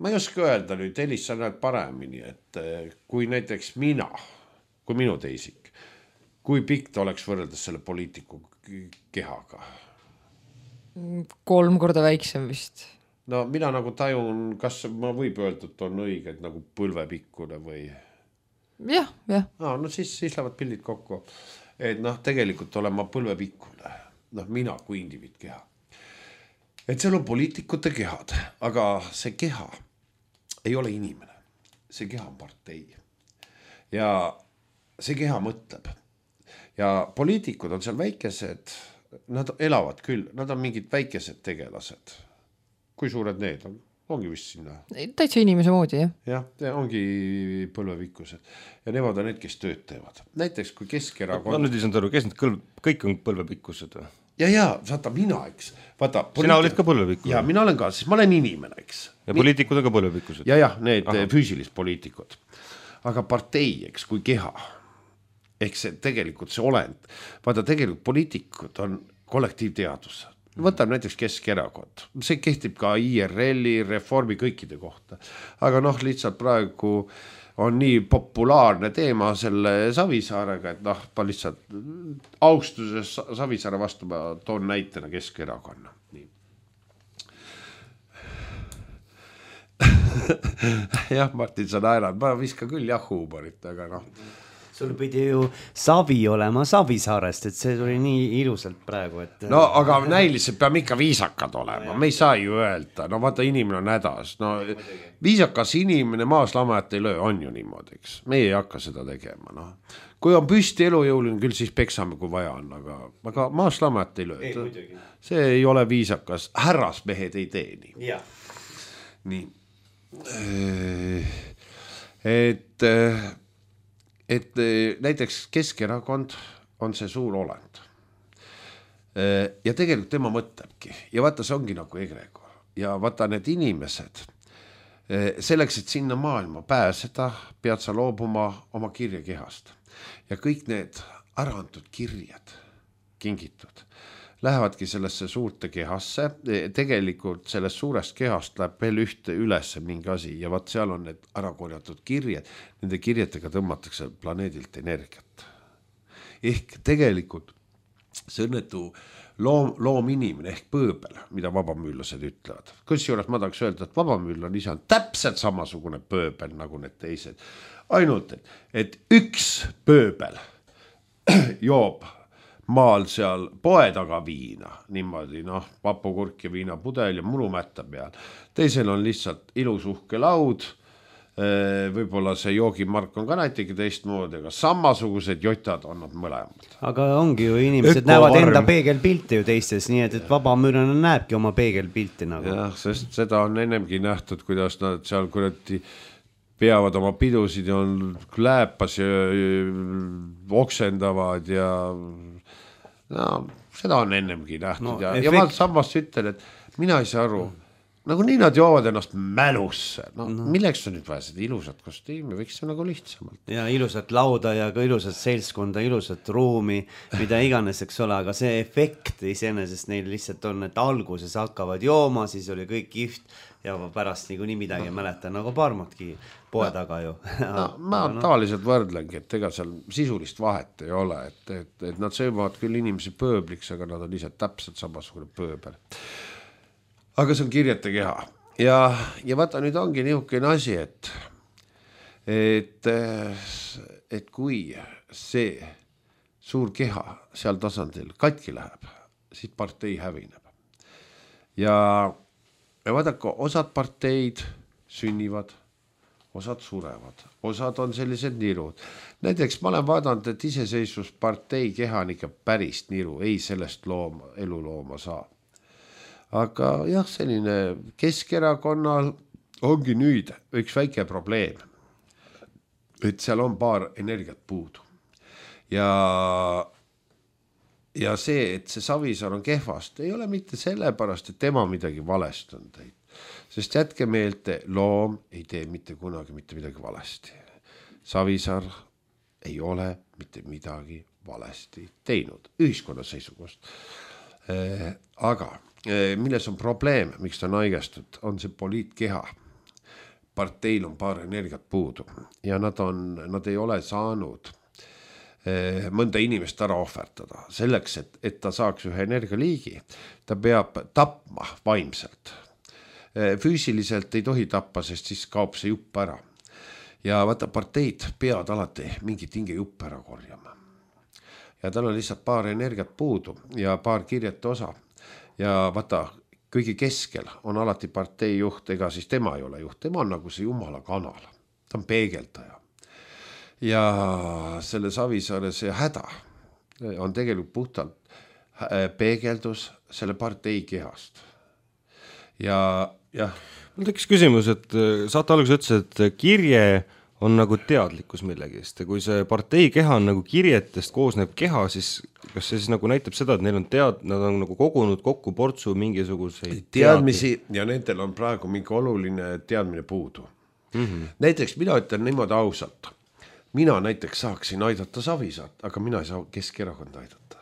Ma ei oska öelda nüüd, Elis, sa näed paremini, et kui näiteks kui minu teisik, kui pikk ta oleks võrreldes selle poliitiku kehaga?
3 korda väiksem vist.
Mina nagu tajun, kas ma võib öelda, et on õige, et nagu põlvepikkune või?
Jah.
Siis lähevad pildid kokku. Et tegelikult olen ma põlvepikkune. Mina kui indiviid keha. Et seal on poliitikute kehad, aga see keha ei ole inimene. See keha on partei. Ja see keha mõtleb. Ja poliitikud on seal väikesed. Nad elavad küll, nad on mingid väikesed tegelased. Kui suured need on? Ongi vist sinna.
Täitsa inimese moodi, jah.
Jah, ongi põlvepikkused. Ja nemad on need, kes tööd teevad. Näiteks kui Keskerakond...
Ma nüüd ei saanud aru, kes need kõik on põlvepikkused või?
Ja, vaata mina, eks.
Sina olid ka põlvepikkused?
Ja, mina olen ka, sest ma olen inimene, eks.
Ja poliitikud on ka põlvepikkused?
Ja, need füüsilist poliitikud. Aga partei, eks, kui keha... Ehk see tegelikult see olend. Vaata, tegelikult poliitikud on kollektiivteadus. Võtab näiteks Keskerakond. See kehtib ka IRL-i, Reformi kõikide kohta. Aga lihtsalt praegu on nii populaarne teema selle Savisaarega, et ma lihtsalt austuses Savisaare vastu ma toon näitena Keskerakonna. Nii. Jah, Martin, sa naerad. Ma viska küll huumorit, aga
Sul pidi ju Savi olema Savisaarest, et see tuli nii ilusalt praegu, et...
aga näiliselt peame ikka viisakad olema, me ei saa ju öelda, vaata inimene on hädas, viisakas inimene maas lamajat ei löö, on ju niimoodi, eks, meie ei hakka seda tegema, Kui on püsti elujõuline, küll siis peksame, kui vaja on, aga maas lamajat ei löö, see ei ole viisakas, härrasmehed ei tee nii. Nii, et näiteks Keskerakond on see suur olend. Ja tegelikult tema mõtlebki. Ja vaata, see ongi nagu egregor. Ja vaata, need inimesed, selleks, et sinna maailma pääseda, pead sa loobuma oma kirjakehast. Ja kõik need äraantud kirjad, kingitud, lähevadki sellesse suurte kehasse. Tegelikult sellest suurest kehast läheb veel ühte ülesse mingi asi ja vaat seal on need ärakorjatud kirjed. Nende kirjetega tõmmatakse planeedilt energiat. Ehk tegelikult see õnnetu loominimene ehk pööbel, mida vabamüüllased ütlevad. Kusjuures ma tahaks öelda, et vabamüüllane ise on täpselt samasugune pööbel nagu need teised. Ainult, et üks pööbel joob maal seal poe taga viina, niimoodi, vapukurk ja viinapudel ja mulumätta peal. Teisel on lihtsalt ilus uhke laud, võib-olla see joogimark on ka näitegi teistmoodi, aga samasugused jotad on nad mõlemad.
Aga ongi ju inimesed näevad enda peegelpilti ju teistes, nii et vabamüürlane näebki oma peegelpilti nagu.
Jah, sest seda on ennemgi nähtud, kuidas nad seal kuradi peavad oma pidusid ja on lääpas ja oksendavad ja seda on ennemgi nähtud ja ma samas ütlen, et mina ei saa aru, nagunii nad joovad ennast mälusse, milleks on nüüd vaja seda ilusat kostiimi, võiks see nagu lihtsamalt.
Ja ilusat lauda ja ka ilusat seltskonda, ilusat ruumi, mida iganes, eks ole, aga see efekt iseenesest neil lihtsalt on, et alguses hakkavad jooma, siis oli kõik kihvt ja pärast nii midagi mäletan, nagu parmatki poe taga ju.
Ma tavaliselt võrdlengi, et ega seal sisulist vahet ei ole, et nad söövad küll inimesi pööbliks, aga nad on ise täpselt samasugune pööbel. Aga see on kirjete keha ja vaata nüüd ongi niisugune asi, et kui see suur keha seal tasandil katki läheb, siis partei hävineb. Ja vaadake, osad parteid sünnivad, osad surevad, osad on sellised nirud. Näiteks ma olen vaadanud, et iseseisvuspartei keha on ikka päris niru, ei sellest elulooma saa. Aga jah, selline Keskerakonnal ongi nüüd üks väike probleem, et seal on paar energiat puudu. Ja see, et see Savisaar on kehvast, ei ole mitte sellepärast, et tema midagi valesti on teinud. Sest jätke meelde, loom ei tee mitte kunagi mitte midagi valesti. Savisaar ei ole mitte midagi valesti teinud ühiskonna seisukohast. Aga milles on probleem, miks ta on haigestud, on see poliitkeha. Parteil on paar energiat puudu ja nad ei ole saanud mõnda inimest ära ohverdada. Selleks, et ta saaks ühe energialiigi, ta peab tapma vaimselt. Füüsiliselt ei tohi tappa, sest siis kaob see jupp ära. Ja vaata, parteid peavad alati mingit hinge jupp ära korjama. Ja tal on lihtsalt paar energiat puudu ja paar kirjete osa. Ja vaata, kõige keskel on alati partei juht, ega siis tema ei ole juht, tema on nagu see jumala kanal, ta on peegeldaja. Ja selle Savisaare see häda on tegelikult puhtalt peegeldus selle partei kehast. Ja
mul tekkis küsimus, et saate alguses ütles, et kirje on nagu teadlikkus millegist ja kui see partei keha on nagu kirjetest koosnev keha, siis kas see siis nagu näitab seda, et neil on nad on nagu kogunud kokku portsu mingisuguseid
teadmisi ja nendel on praegu mingi oluline teadmine puudu. Näiteks mina ütlen niimoodi ausalt, mina näiteks saaksin aidata Savisaart, aga mina ei saa Keskerakonda aidata,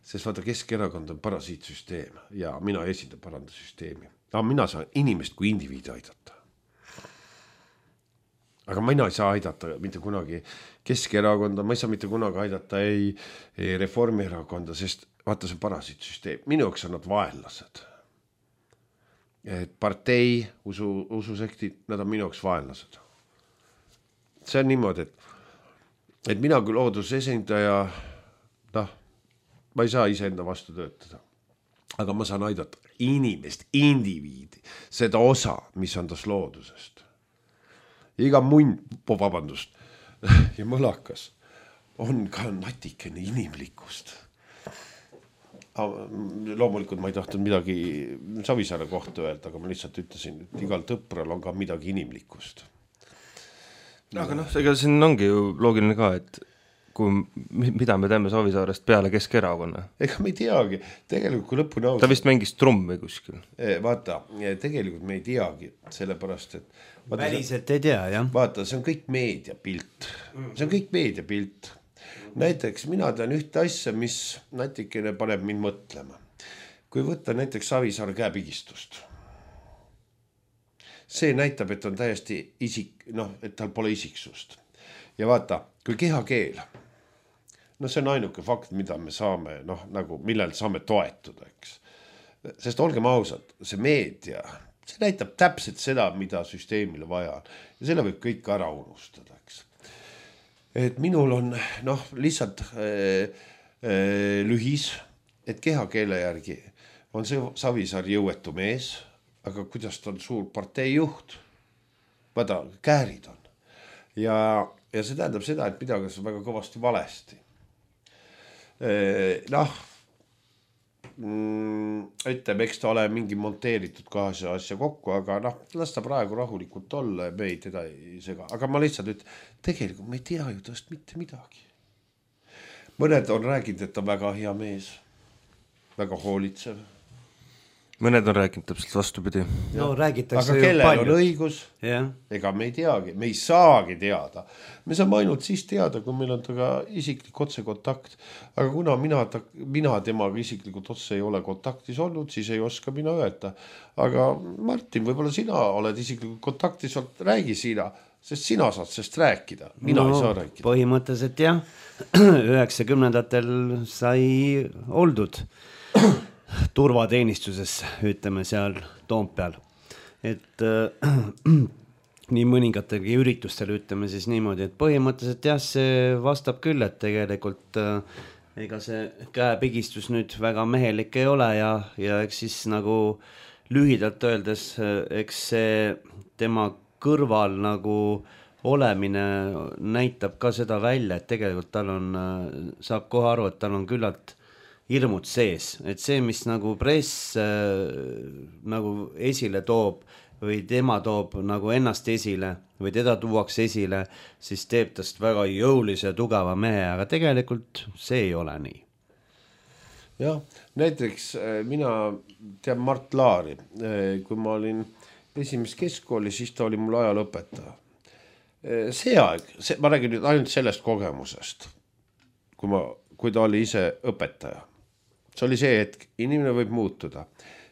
sest vaata Keskerakond on parasiitsüsteem ja mina esindan parandusüsteemi, aga mina saan inimest kui indiviidi aidata. Aga mina ei saa aidata mitte kunagi Keskerakonda, ma ei saa mitte kunagi aidata ei Reformierakonda, sest vaata see parasiitsüsteem, minu jaoks on nad vaenlased. Et partei, ususekti, nad on minu jaoks vaenlased. See on niimoodi, et mina kui loodusesindaja, ma ei saa iseenda vastu töötada, aga ma saan aidata inimest, indiviidi, seda osa, mis on tas loodusest. Iga munn, vabandust, ja mõlakas on ka natikene inimlikkust. Loomulikult ma ei tahtnud midagi Savisaare kohta öelda, aga ma lihtsalt ütlesin, et igal tõpral on ka midagi inimlikkust.
Aga ega siin ongi ju loogiline ka, et mida me teeme Savisaarest peale Keskerakonna?
Ega me ei teagi, tegelikult kui lõpuni ausalt.
Ta vist mängis trummi kuskil.
Vaata, tegelikult me ei teagi, sellepärast, et
väliselt ei tea, jah.
Vaata, see on kõik meediapilt. See on kõik meediapilt. Näiteks mina tean ühte asja, mis natikene paneb mind mõtlema. Kui võtta näiteks Savisaare käepigistust. See näitab, et on täiesti et tal pole isiksust. Ja vaata, kui kehakeel, see on ainuke fakt, mida me saame, nagu millel saame toetuda, eks. Sest olgem ausad, see meedia, see näitab täpselt seda, mida süsteemile vaja on. Ja selle võib kõik ära unustada, eks. Et minul on, lihtsalt lühis, et kehakeele järgi on see Savisaar jõuetu mees, aga kuidas ta on suur partei juht? Vaata, käärid on. Ja see tähendab seda, et midagi on väga kõvasti valesti. Ütleme, eks ta ole mingi monteeritud kaasa asja kokku, aga las ta praegu rahulikult olla ja me ei teda ei sega. Aga ma lihtsalt ütlen, tegelikult me ei tea ju tõest mitte midagi. Mõned on rääginud, et ta on väga hea mees, väga hoolitsev.
mõned on rääkinud täpselt vastupidi.
No räägitakse
aga kellel on õigus, ega me ei teagi, me ei saagi teada. Me saame ainult siis teada, kui meil on taga isiklik otsekontakt. Aga kuna mina temaga isiklikult otse ei ole kontaktis olnud, siis ei oska mina öelda. Aga Martin, võib-olla sina oled isiklikult kontaktis, räägi sina, sest sina saad sest rääkida. Mina ei saa rääkida.
Põhimõtteliselt jah, 90-ndatel sai oldud turvateenistuses, ütleme seal Toompeal, et nii mõningatelgi üritustel ütleme siis niimoodi, et põhimõtteliselt jah, see vastab küll, et tegelikult ega see käepigistus nüüd väga mehelik ei ole ja eks siis nagu lühidalt öeldes, eks see tema kõrval nagu olemine näitab ka seda välja, et tegelikult tal on, saab kohe aru, et tal on küllalt hirmud sees, et see, mis nagu press nagu esile toob või tema toob nagu ennast esile või teda tuuakse esile, siis teeb tast väga jõulise ja tugeva mehe, aga tegelikult see ei ole nii.
Jah, näiteks mina tean Mart Laari, kui ma olin esimeses keskkooli, siis ta oli mul ajalõpetaja. See aeg, ma räägin nüüd ainult sellest kogemusest, kui ta oli ise õpetaja. See oli see hetk, inimene võib muutuda.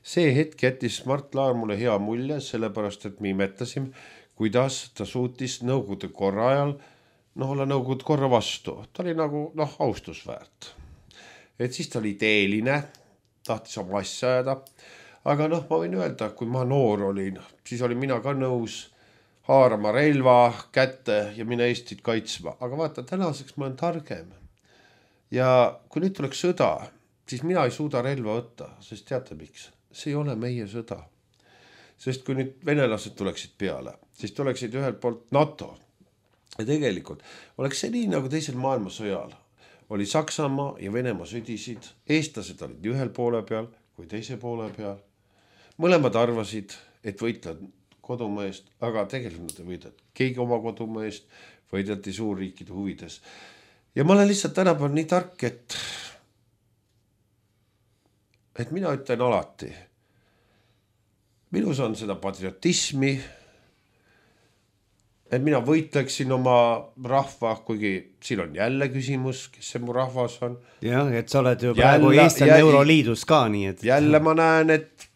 See hetk jättis Mart Laar mulle hea mulje, sellepärast, et me imetasime, kuidas ta suutis nõukogude korra ajal, olla nõukogude korra vastu. Ta oli nagu, austusväärt. Et siis ta oli ideeline, tahtis oma asja ajada. Aga ma võin öelda, kui ma noor olin, siis olin mina ka nõus haarama relva kätte ja mina Eestit kaitsma. Aga vaata, tänaseks ma olen targem. Ja kui nüüd tuleks sõda, siis mina ei suuda relva võtta, sest teate miks? See ei ole meie sõda. Sest kui nüüd venelased tuleksid peale, siis tuleksid ühelt poolt NATO. Ja tegelikult oleks see nii nagu teisel maailmasõjal. Oli Saksamaa ja Venemaa sõdisid, eestlased olid ühel poole peal kui teise poole peal. Mõlemad arvasid, et võitlevad kodumaa eest, aga tegelikult nad ei võidanud. Keegi oma kodumaa eest võideldi suurriikide huvides. Ja ma olen lihtsalt tänapäeval nii tark, et mina ütlen alati. Minus on seda patriotismi, et mina võitleksin oma rahva, kuigi siin on jälle küsimus, kes see mu rahvas on.
Jah, et sa oled ju praegu Eesti Euroliidus ka nii, et...
Jälle ma näen, et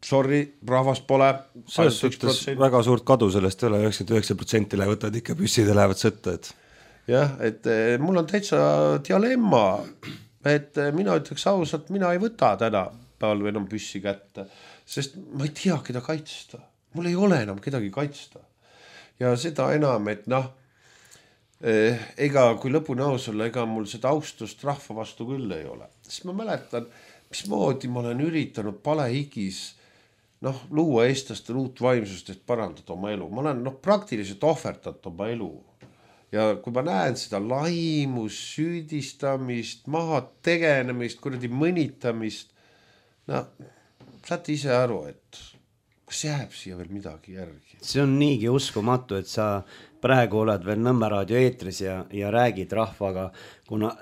sorry, rahvas pole.
Selles suhtes väga suurt kadu sellest üle, 99% võtavad ikka püssid ja lähevad sõtta, et...
Jah, et mul on täitsa dilemma, et mina ütleks ausalt, mina ei võta täna päeval enam püssi kätte, sest ma ei tea, keda kaitsta. Mul ei ole enam kedagi kaitsta. Ja seda enam, et ega kui lõpuni aus olla, ega mul seda austust rahva vastu küll ei ole. Sest ma mäletan, mismoodi ma olen üritanud palehigis luua eestlastel uut vaimsust, et parandada oma elu. Ma olen praktiliselt ohverdanud oma elu. Ja kui ma näen seda laimust, süüdistamist, maha tegenemist, kuradi mõnitamist, saate ise aru, et kas jääb siia veel midagi järgi?
See on niigi uskumatu, et sa praegu oled veel Nõmme raadio eetris ja räägid rahvaga, kuna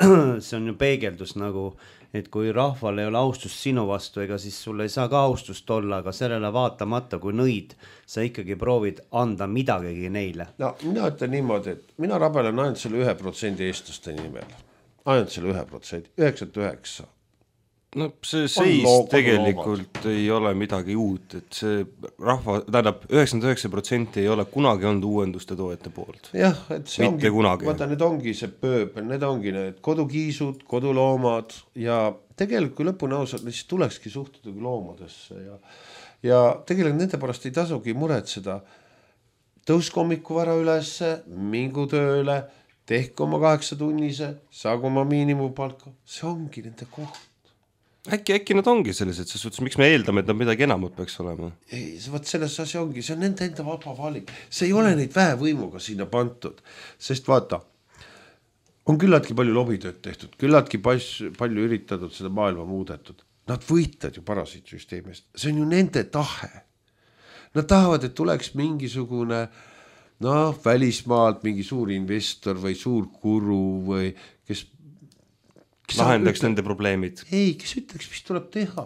see on ju peegeldus nagu, et kui rahval ei ole austust sinu vastu, ega siis sul ei saa ka austust olla, aga sellele vaatamata, kui nõid, sa ikkagi proovid anda midagigi neile.
Mina ütlen niimoodi, et mina rabelen ainult selle 1% eestlaste nimel. Ainult selle 1%, 99%.
See seis tegelikult ei ole midagi uut, et see rahva, tähendab 99% ei ole kunagi olnud uuenduste toojate poolt.
Jah, et see
mitte
ongi,
kunagi.
Vaata, need ongi see pööbel, need ongi need kodukiisud, koduloomad ja tegelikult kui lõpuni ausalt, siis tulekski suhtuda loomadesse ja tegelikult nende pärast ei tasugi muretseda. Tõuske hommiku vara ülesse, mingu tööle, tehke oma 8-tunnise, saagu oma miinimumpalka, see ongi nende koht.
Äkki nad ongi sellised, ses suhtes, miks me eeldame, et nad midagi enamat peaks olema?
Ei, selles asi ongi, see on nende enda vaba valik. See ei ole neid väevõimuga sinna pantud, sest vaata, on küllaltki palju lobitööd tehtud, küllaltki palju üritatud seda maailma muudetud. Nad võitlevad ju parasiitsüsteemist, see on ju nende tahe. Nad tahavad, et tuleks mingisugune välismaalt mingi suur investor või suur guru või kes
lahendaks nende probleemid.
Ei, kes ütleks, mis tuleb teha.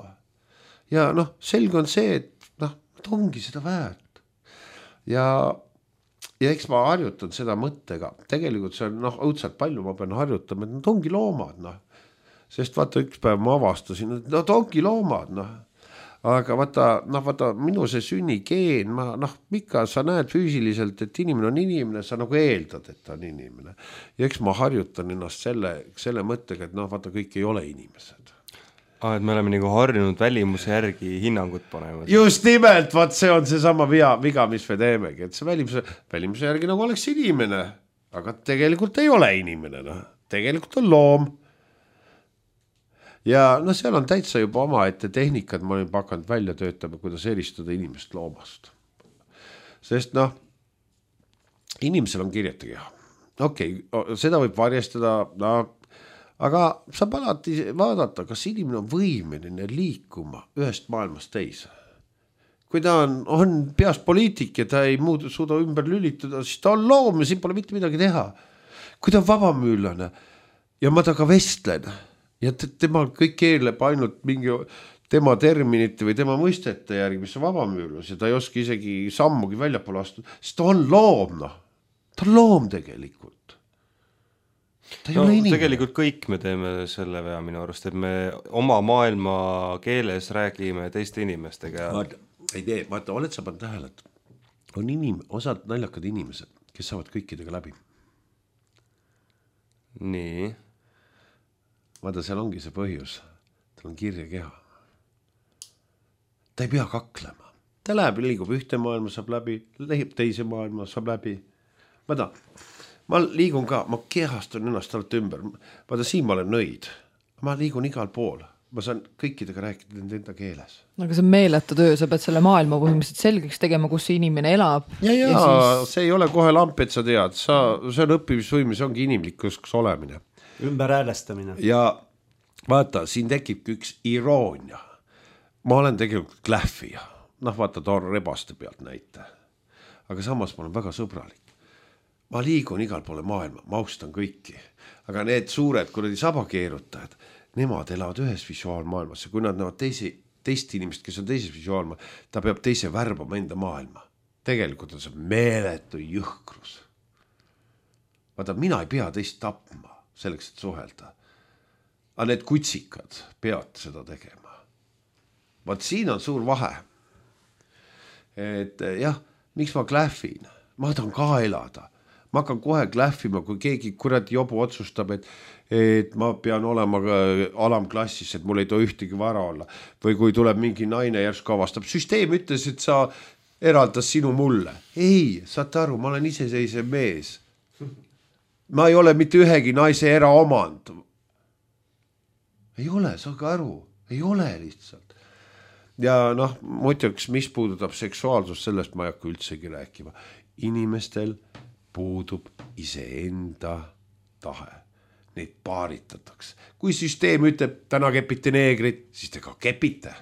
ja noh, selge on see, et noh, nad ongi seda väärt ja eks ma harjutan seda mõttega, tegelikult see on noh, õudselt palju ma pean harjutama, et nad ongi loomad, noh, sest vaata üks päev ma avastasin, et nad ongi loomad, noh, aga vaata minu see sünnigeen, ma noh, ikka sa näed füüsiliselt, et inimene on inimene, sa nagu eeldad, et ta on inimene ja eks ma harjutan ennast selle mõttega, et noh, vaata kõik ei ole inimesed.
Et me oleme nagu harjunud välimuse järgi hinnangut panema.
Just nimelt, vaat see on see sama viga, mis me teemegi, et see välimuse järgi nagu oleks inimene, aga tegelikult ei ole inimene, noh. Tegelikult on loom. Ja no seal on täitsa juba omaette tehnikad, ma olen hakanud välja töötama, kuidas eristada inimest loomast. Sest noh, inimesel on kirjata keha. Okei, seda võib varjestada, aga saab alati vaadata, kas inimene on võimeline liikuma ühest maailmast teise. Kui ta on peas poliitik ja ta ei suuda ümber lülituda, siis ta on loom ja siin pole mitte midagi teha. Kui ta on vabamüülane ja ma taga vestlen ja tema kõik keerleb ainult mingi tema terminite või tema mõistete järgi, mis on vabamüülus ja ta ei oska isegi sammugi väljapoole astuda, siis ta on loom, noh. Ta on loom tegelikult. No,
tegelikult kõik me teeme selle vea minu arust, et me oma maailma keeles räägime teiste inimestega.
Vaata, oled sa pannud tähele, et on osad naljakad inimesed, kes saavad kõikidega läbi.
Nii.
Vaata, seal ongi see põhjus. Tal on kirja keha. Ta ei pea kaklema. Ta läheb, liigub ühte maailma, saab läbi, lehib teise maailma, saab läbi. Vaata, ma liigun ka, ma kehastun ennast alt ümber. Vaata, siin ma olen nõid. Ma liigun igal pool. Ma saan kõikidega rääkida enda keeles.
Aga see on meeletu töö, sa pead selle maailma põhimõtteliselt selgeks tegema, kus see inimene elab.
Ja siis... see ei ole kohe lamp, et sa tead. See on õppimisvõime, see ongi inimlikkus olemine.
Ümberhäälestamine.
Ja vaata, siin tekibki üks iroonia. Ma olen tegelikult klähvija. Noh, vaata, toon rebaste pealt näite. Aga samas ma olen väga sõbralik. Ma liigun igal poole maailma, ma austan kõiki. Aga need suured kuradi sabakeerutajad, nemad elavad ühes visuaalmaailmas ja kui nad näevad teist inimest, kes on teises visuaalmaailma, ta peab teise värbama enda maailma. Tegelikult on see meeletu jõhkrus. Vaata, mina ei pea teist tapma selleks, et suhelda. Aga need kutsikad peavad seda tegema. Vaat siin on suur vahe. Et jah, miks ma klähvin? Ma tahan ka elada. Ma hakkan kohe klähvima, kui keegi kuradi jobu otsustab, et ma pean olema alamklassis, et mul ei too ühtegi vara olla. Või kui tuleb mingi naine järsku avastab. Süsteem ütles, et sa eraldas sinu mulle. Ei, saate aru, ma olen iseseisev mees. Ma ei ole mitte ühegi naise eraomand. Ei ole, saage aru. Ei ole lihtsalt. Ja noh, muiduks, mis puudutab seksuaalsust, sellest ma ei hakka üldsegi rääkima. Inimestel puudub iseenda tahe. Neid paaritatakse. Kui süsteem ütleb, täna kepite neegrid, siis te ka kepite.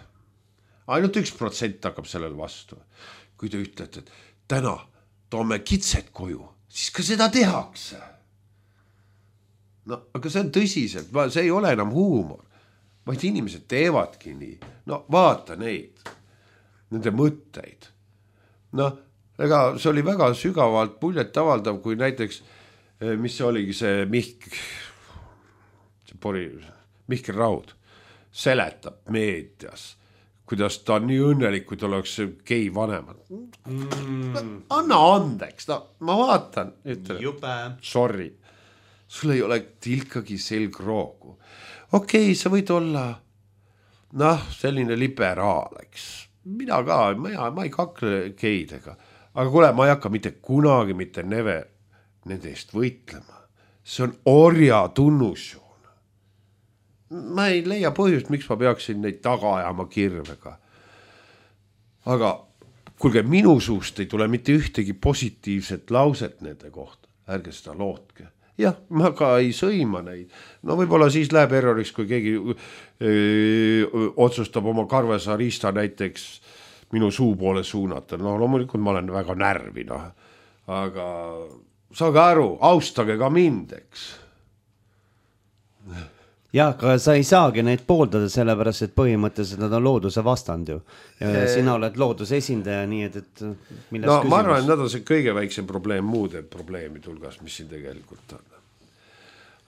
Ainult 1% hakkab sellel vastu. Kui te ütlete, et täna toome kitsed koju, siis ka seda tehakse. No, aga see on tõsiselt, see ei ole enam huumor. Vaid inimesed teevadki nii. No vaata neid, nende mõtteid. No, ega see oli väga sügavalt muljet avaldav, kui näiteks, mis see oligi see Mihkel Raud seletab meedias, kuidas ta on nii õnnelik, kui ta oleks gei vanemad. Anna andeks, no ma vaatan, ütlen, sorry, sul ei ole tilkagi selgroogu. Okei, sa võid olla, noh, selline liberaal, eks. Mina ka, ma ei kakle geidega. Aga kuule, ma ei hakka mitte kunagi, mitte neve nende eest võitlema. See on orja tunnusjoon. Ma ei leia põhjust, miks ma peaksin neid taga ajama kirvega. Aga kuulge, minu suust ei tule mitte ühtegi positiivset lauset nende kohta. Ärge seda lootke. Jah, ma ka ei sõima neid. No võib-olla siis läheb erroriks, kui keegi otsustab oma karvesa riista näiteks minu suu poole suunata. No loomulikult ma olen väga närvi, noh. Aga saage aru, austage ka mind, eks.
jah, aga sa ei saagi neid pooldada, sellepärast et põhimõtteliselt nad on looduse vastand ju. Ja sina oled looduse esindaja, nii et milles
no
küsimus?
ma arvan, et nad on see kõige väiksem probleem muude probleemide hulgas, mis siin tegelikult on.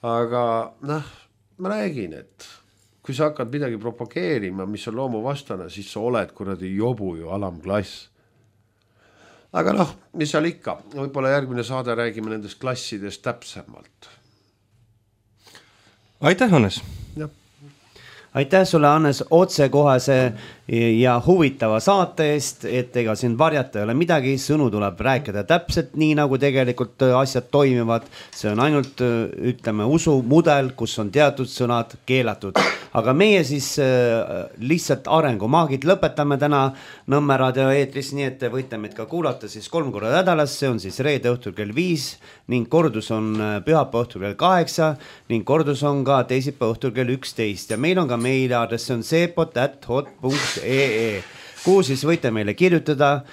Aga ma räägin, et kui sa hakkad midagi propageerima, mis on loomu vastane, siis sa oled kuradi jobu ju alamklass. Aga mis seal ikka, võib-olla järgmine saade räägime nendest klassidest täpsemalt.
Aitäh, Hannes!
Aitäh sulle, Hannes, otsekohase ja huvitava saate eest, et ega siin varjata ei ole midagi, sõnu tuleb rääkida täpselt nii, nagu tegelikult asjad toimivad. See on ainult, ütleme, usumudel, kus on teatud sõnad keelatud. Aga meie siis lihtsalt arengumaagid lõpetame täna Nõmme raadio eetris, nii et te võite meid ka kuulata siis 3 korda nädalas, see on siis reede õhtul kell 5 ning kordus on pühapäeva õhtul kell 8 ning kordus on ka teisipäeva õhtul kell 11 ja meil on ka meiliaadress, see on sepot@hot.ee, kuhu siis võite meile kirjutada,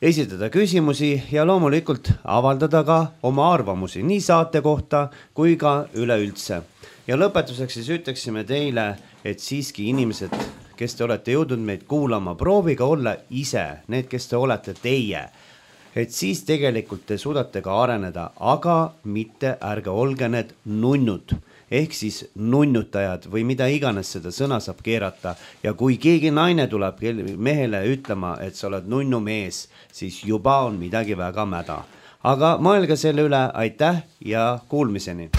esitada küsimusi ja loomulikult avaldada ka oma arvamusi nii saate kohta kui ka üleüldse. Ja lõpetuseks siis ütleksime teile, et siiski inimesed, kes te olete jõudnud meid kuulama, prooviga olla ise, need, kes te olete teie, et siis tegelikult te suudate ka areneda, aga mitte ärge olge need nunnud, ehk siis nunnutajad või mida iganes seda sõna saab keerata. Ja kui keegi naine tuleb mehele ütlema, et sa oled nunnu mees, siis juba on midagi väga mäda. Aga mõelge selle üle, aitäh ja kuulmiseni!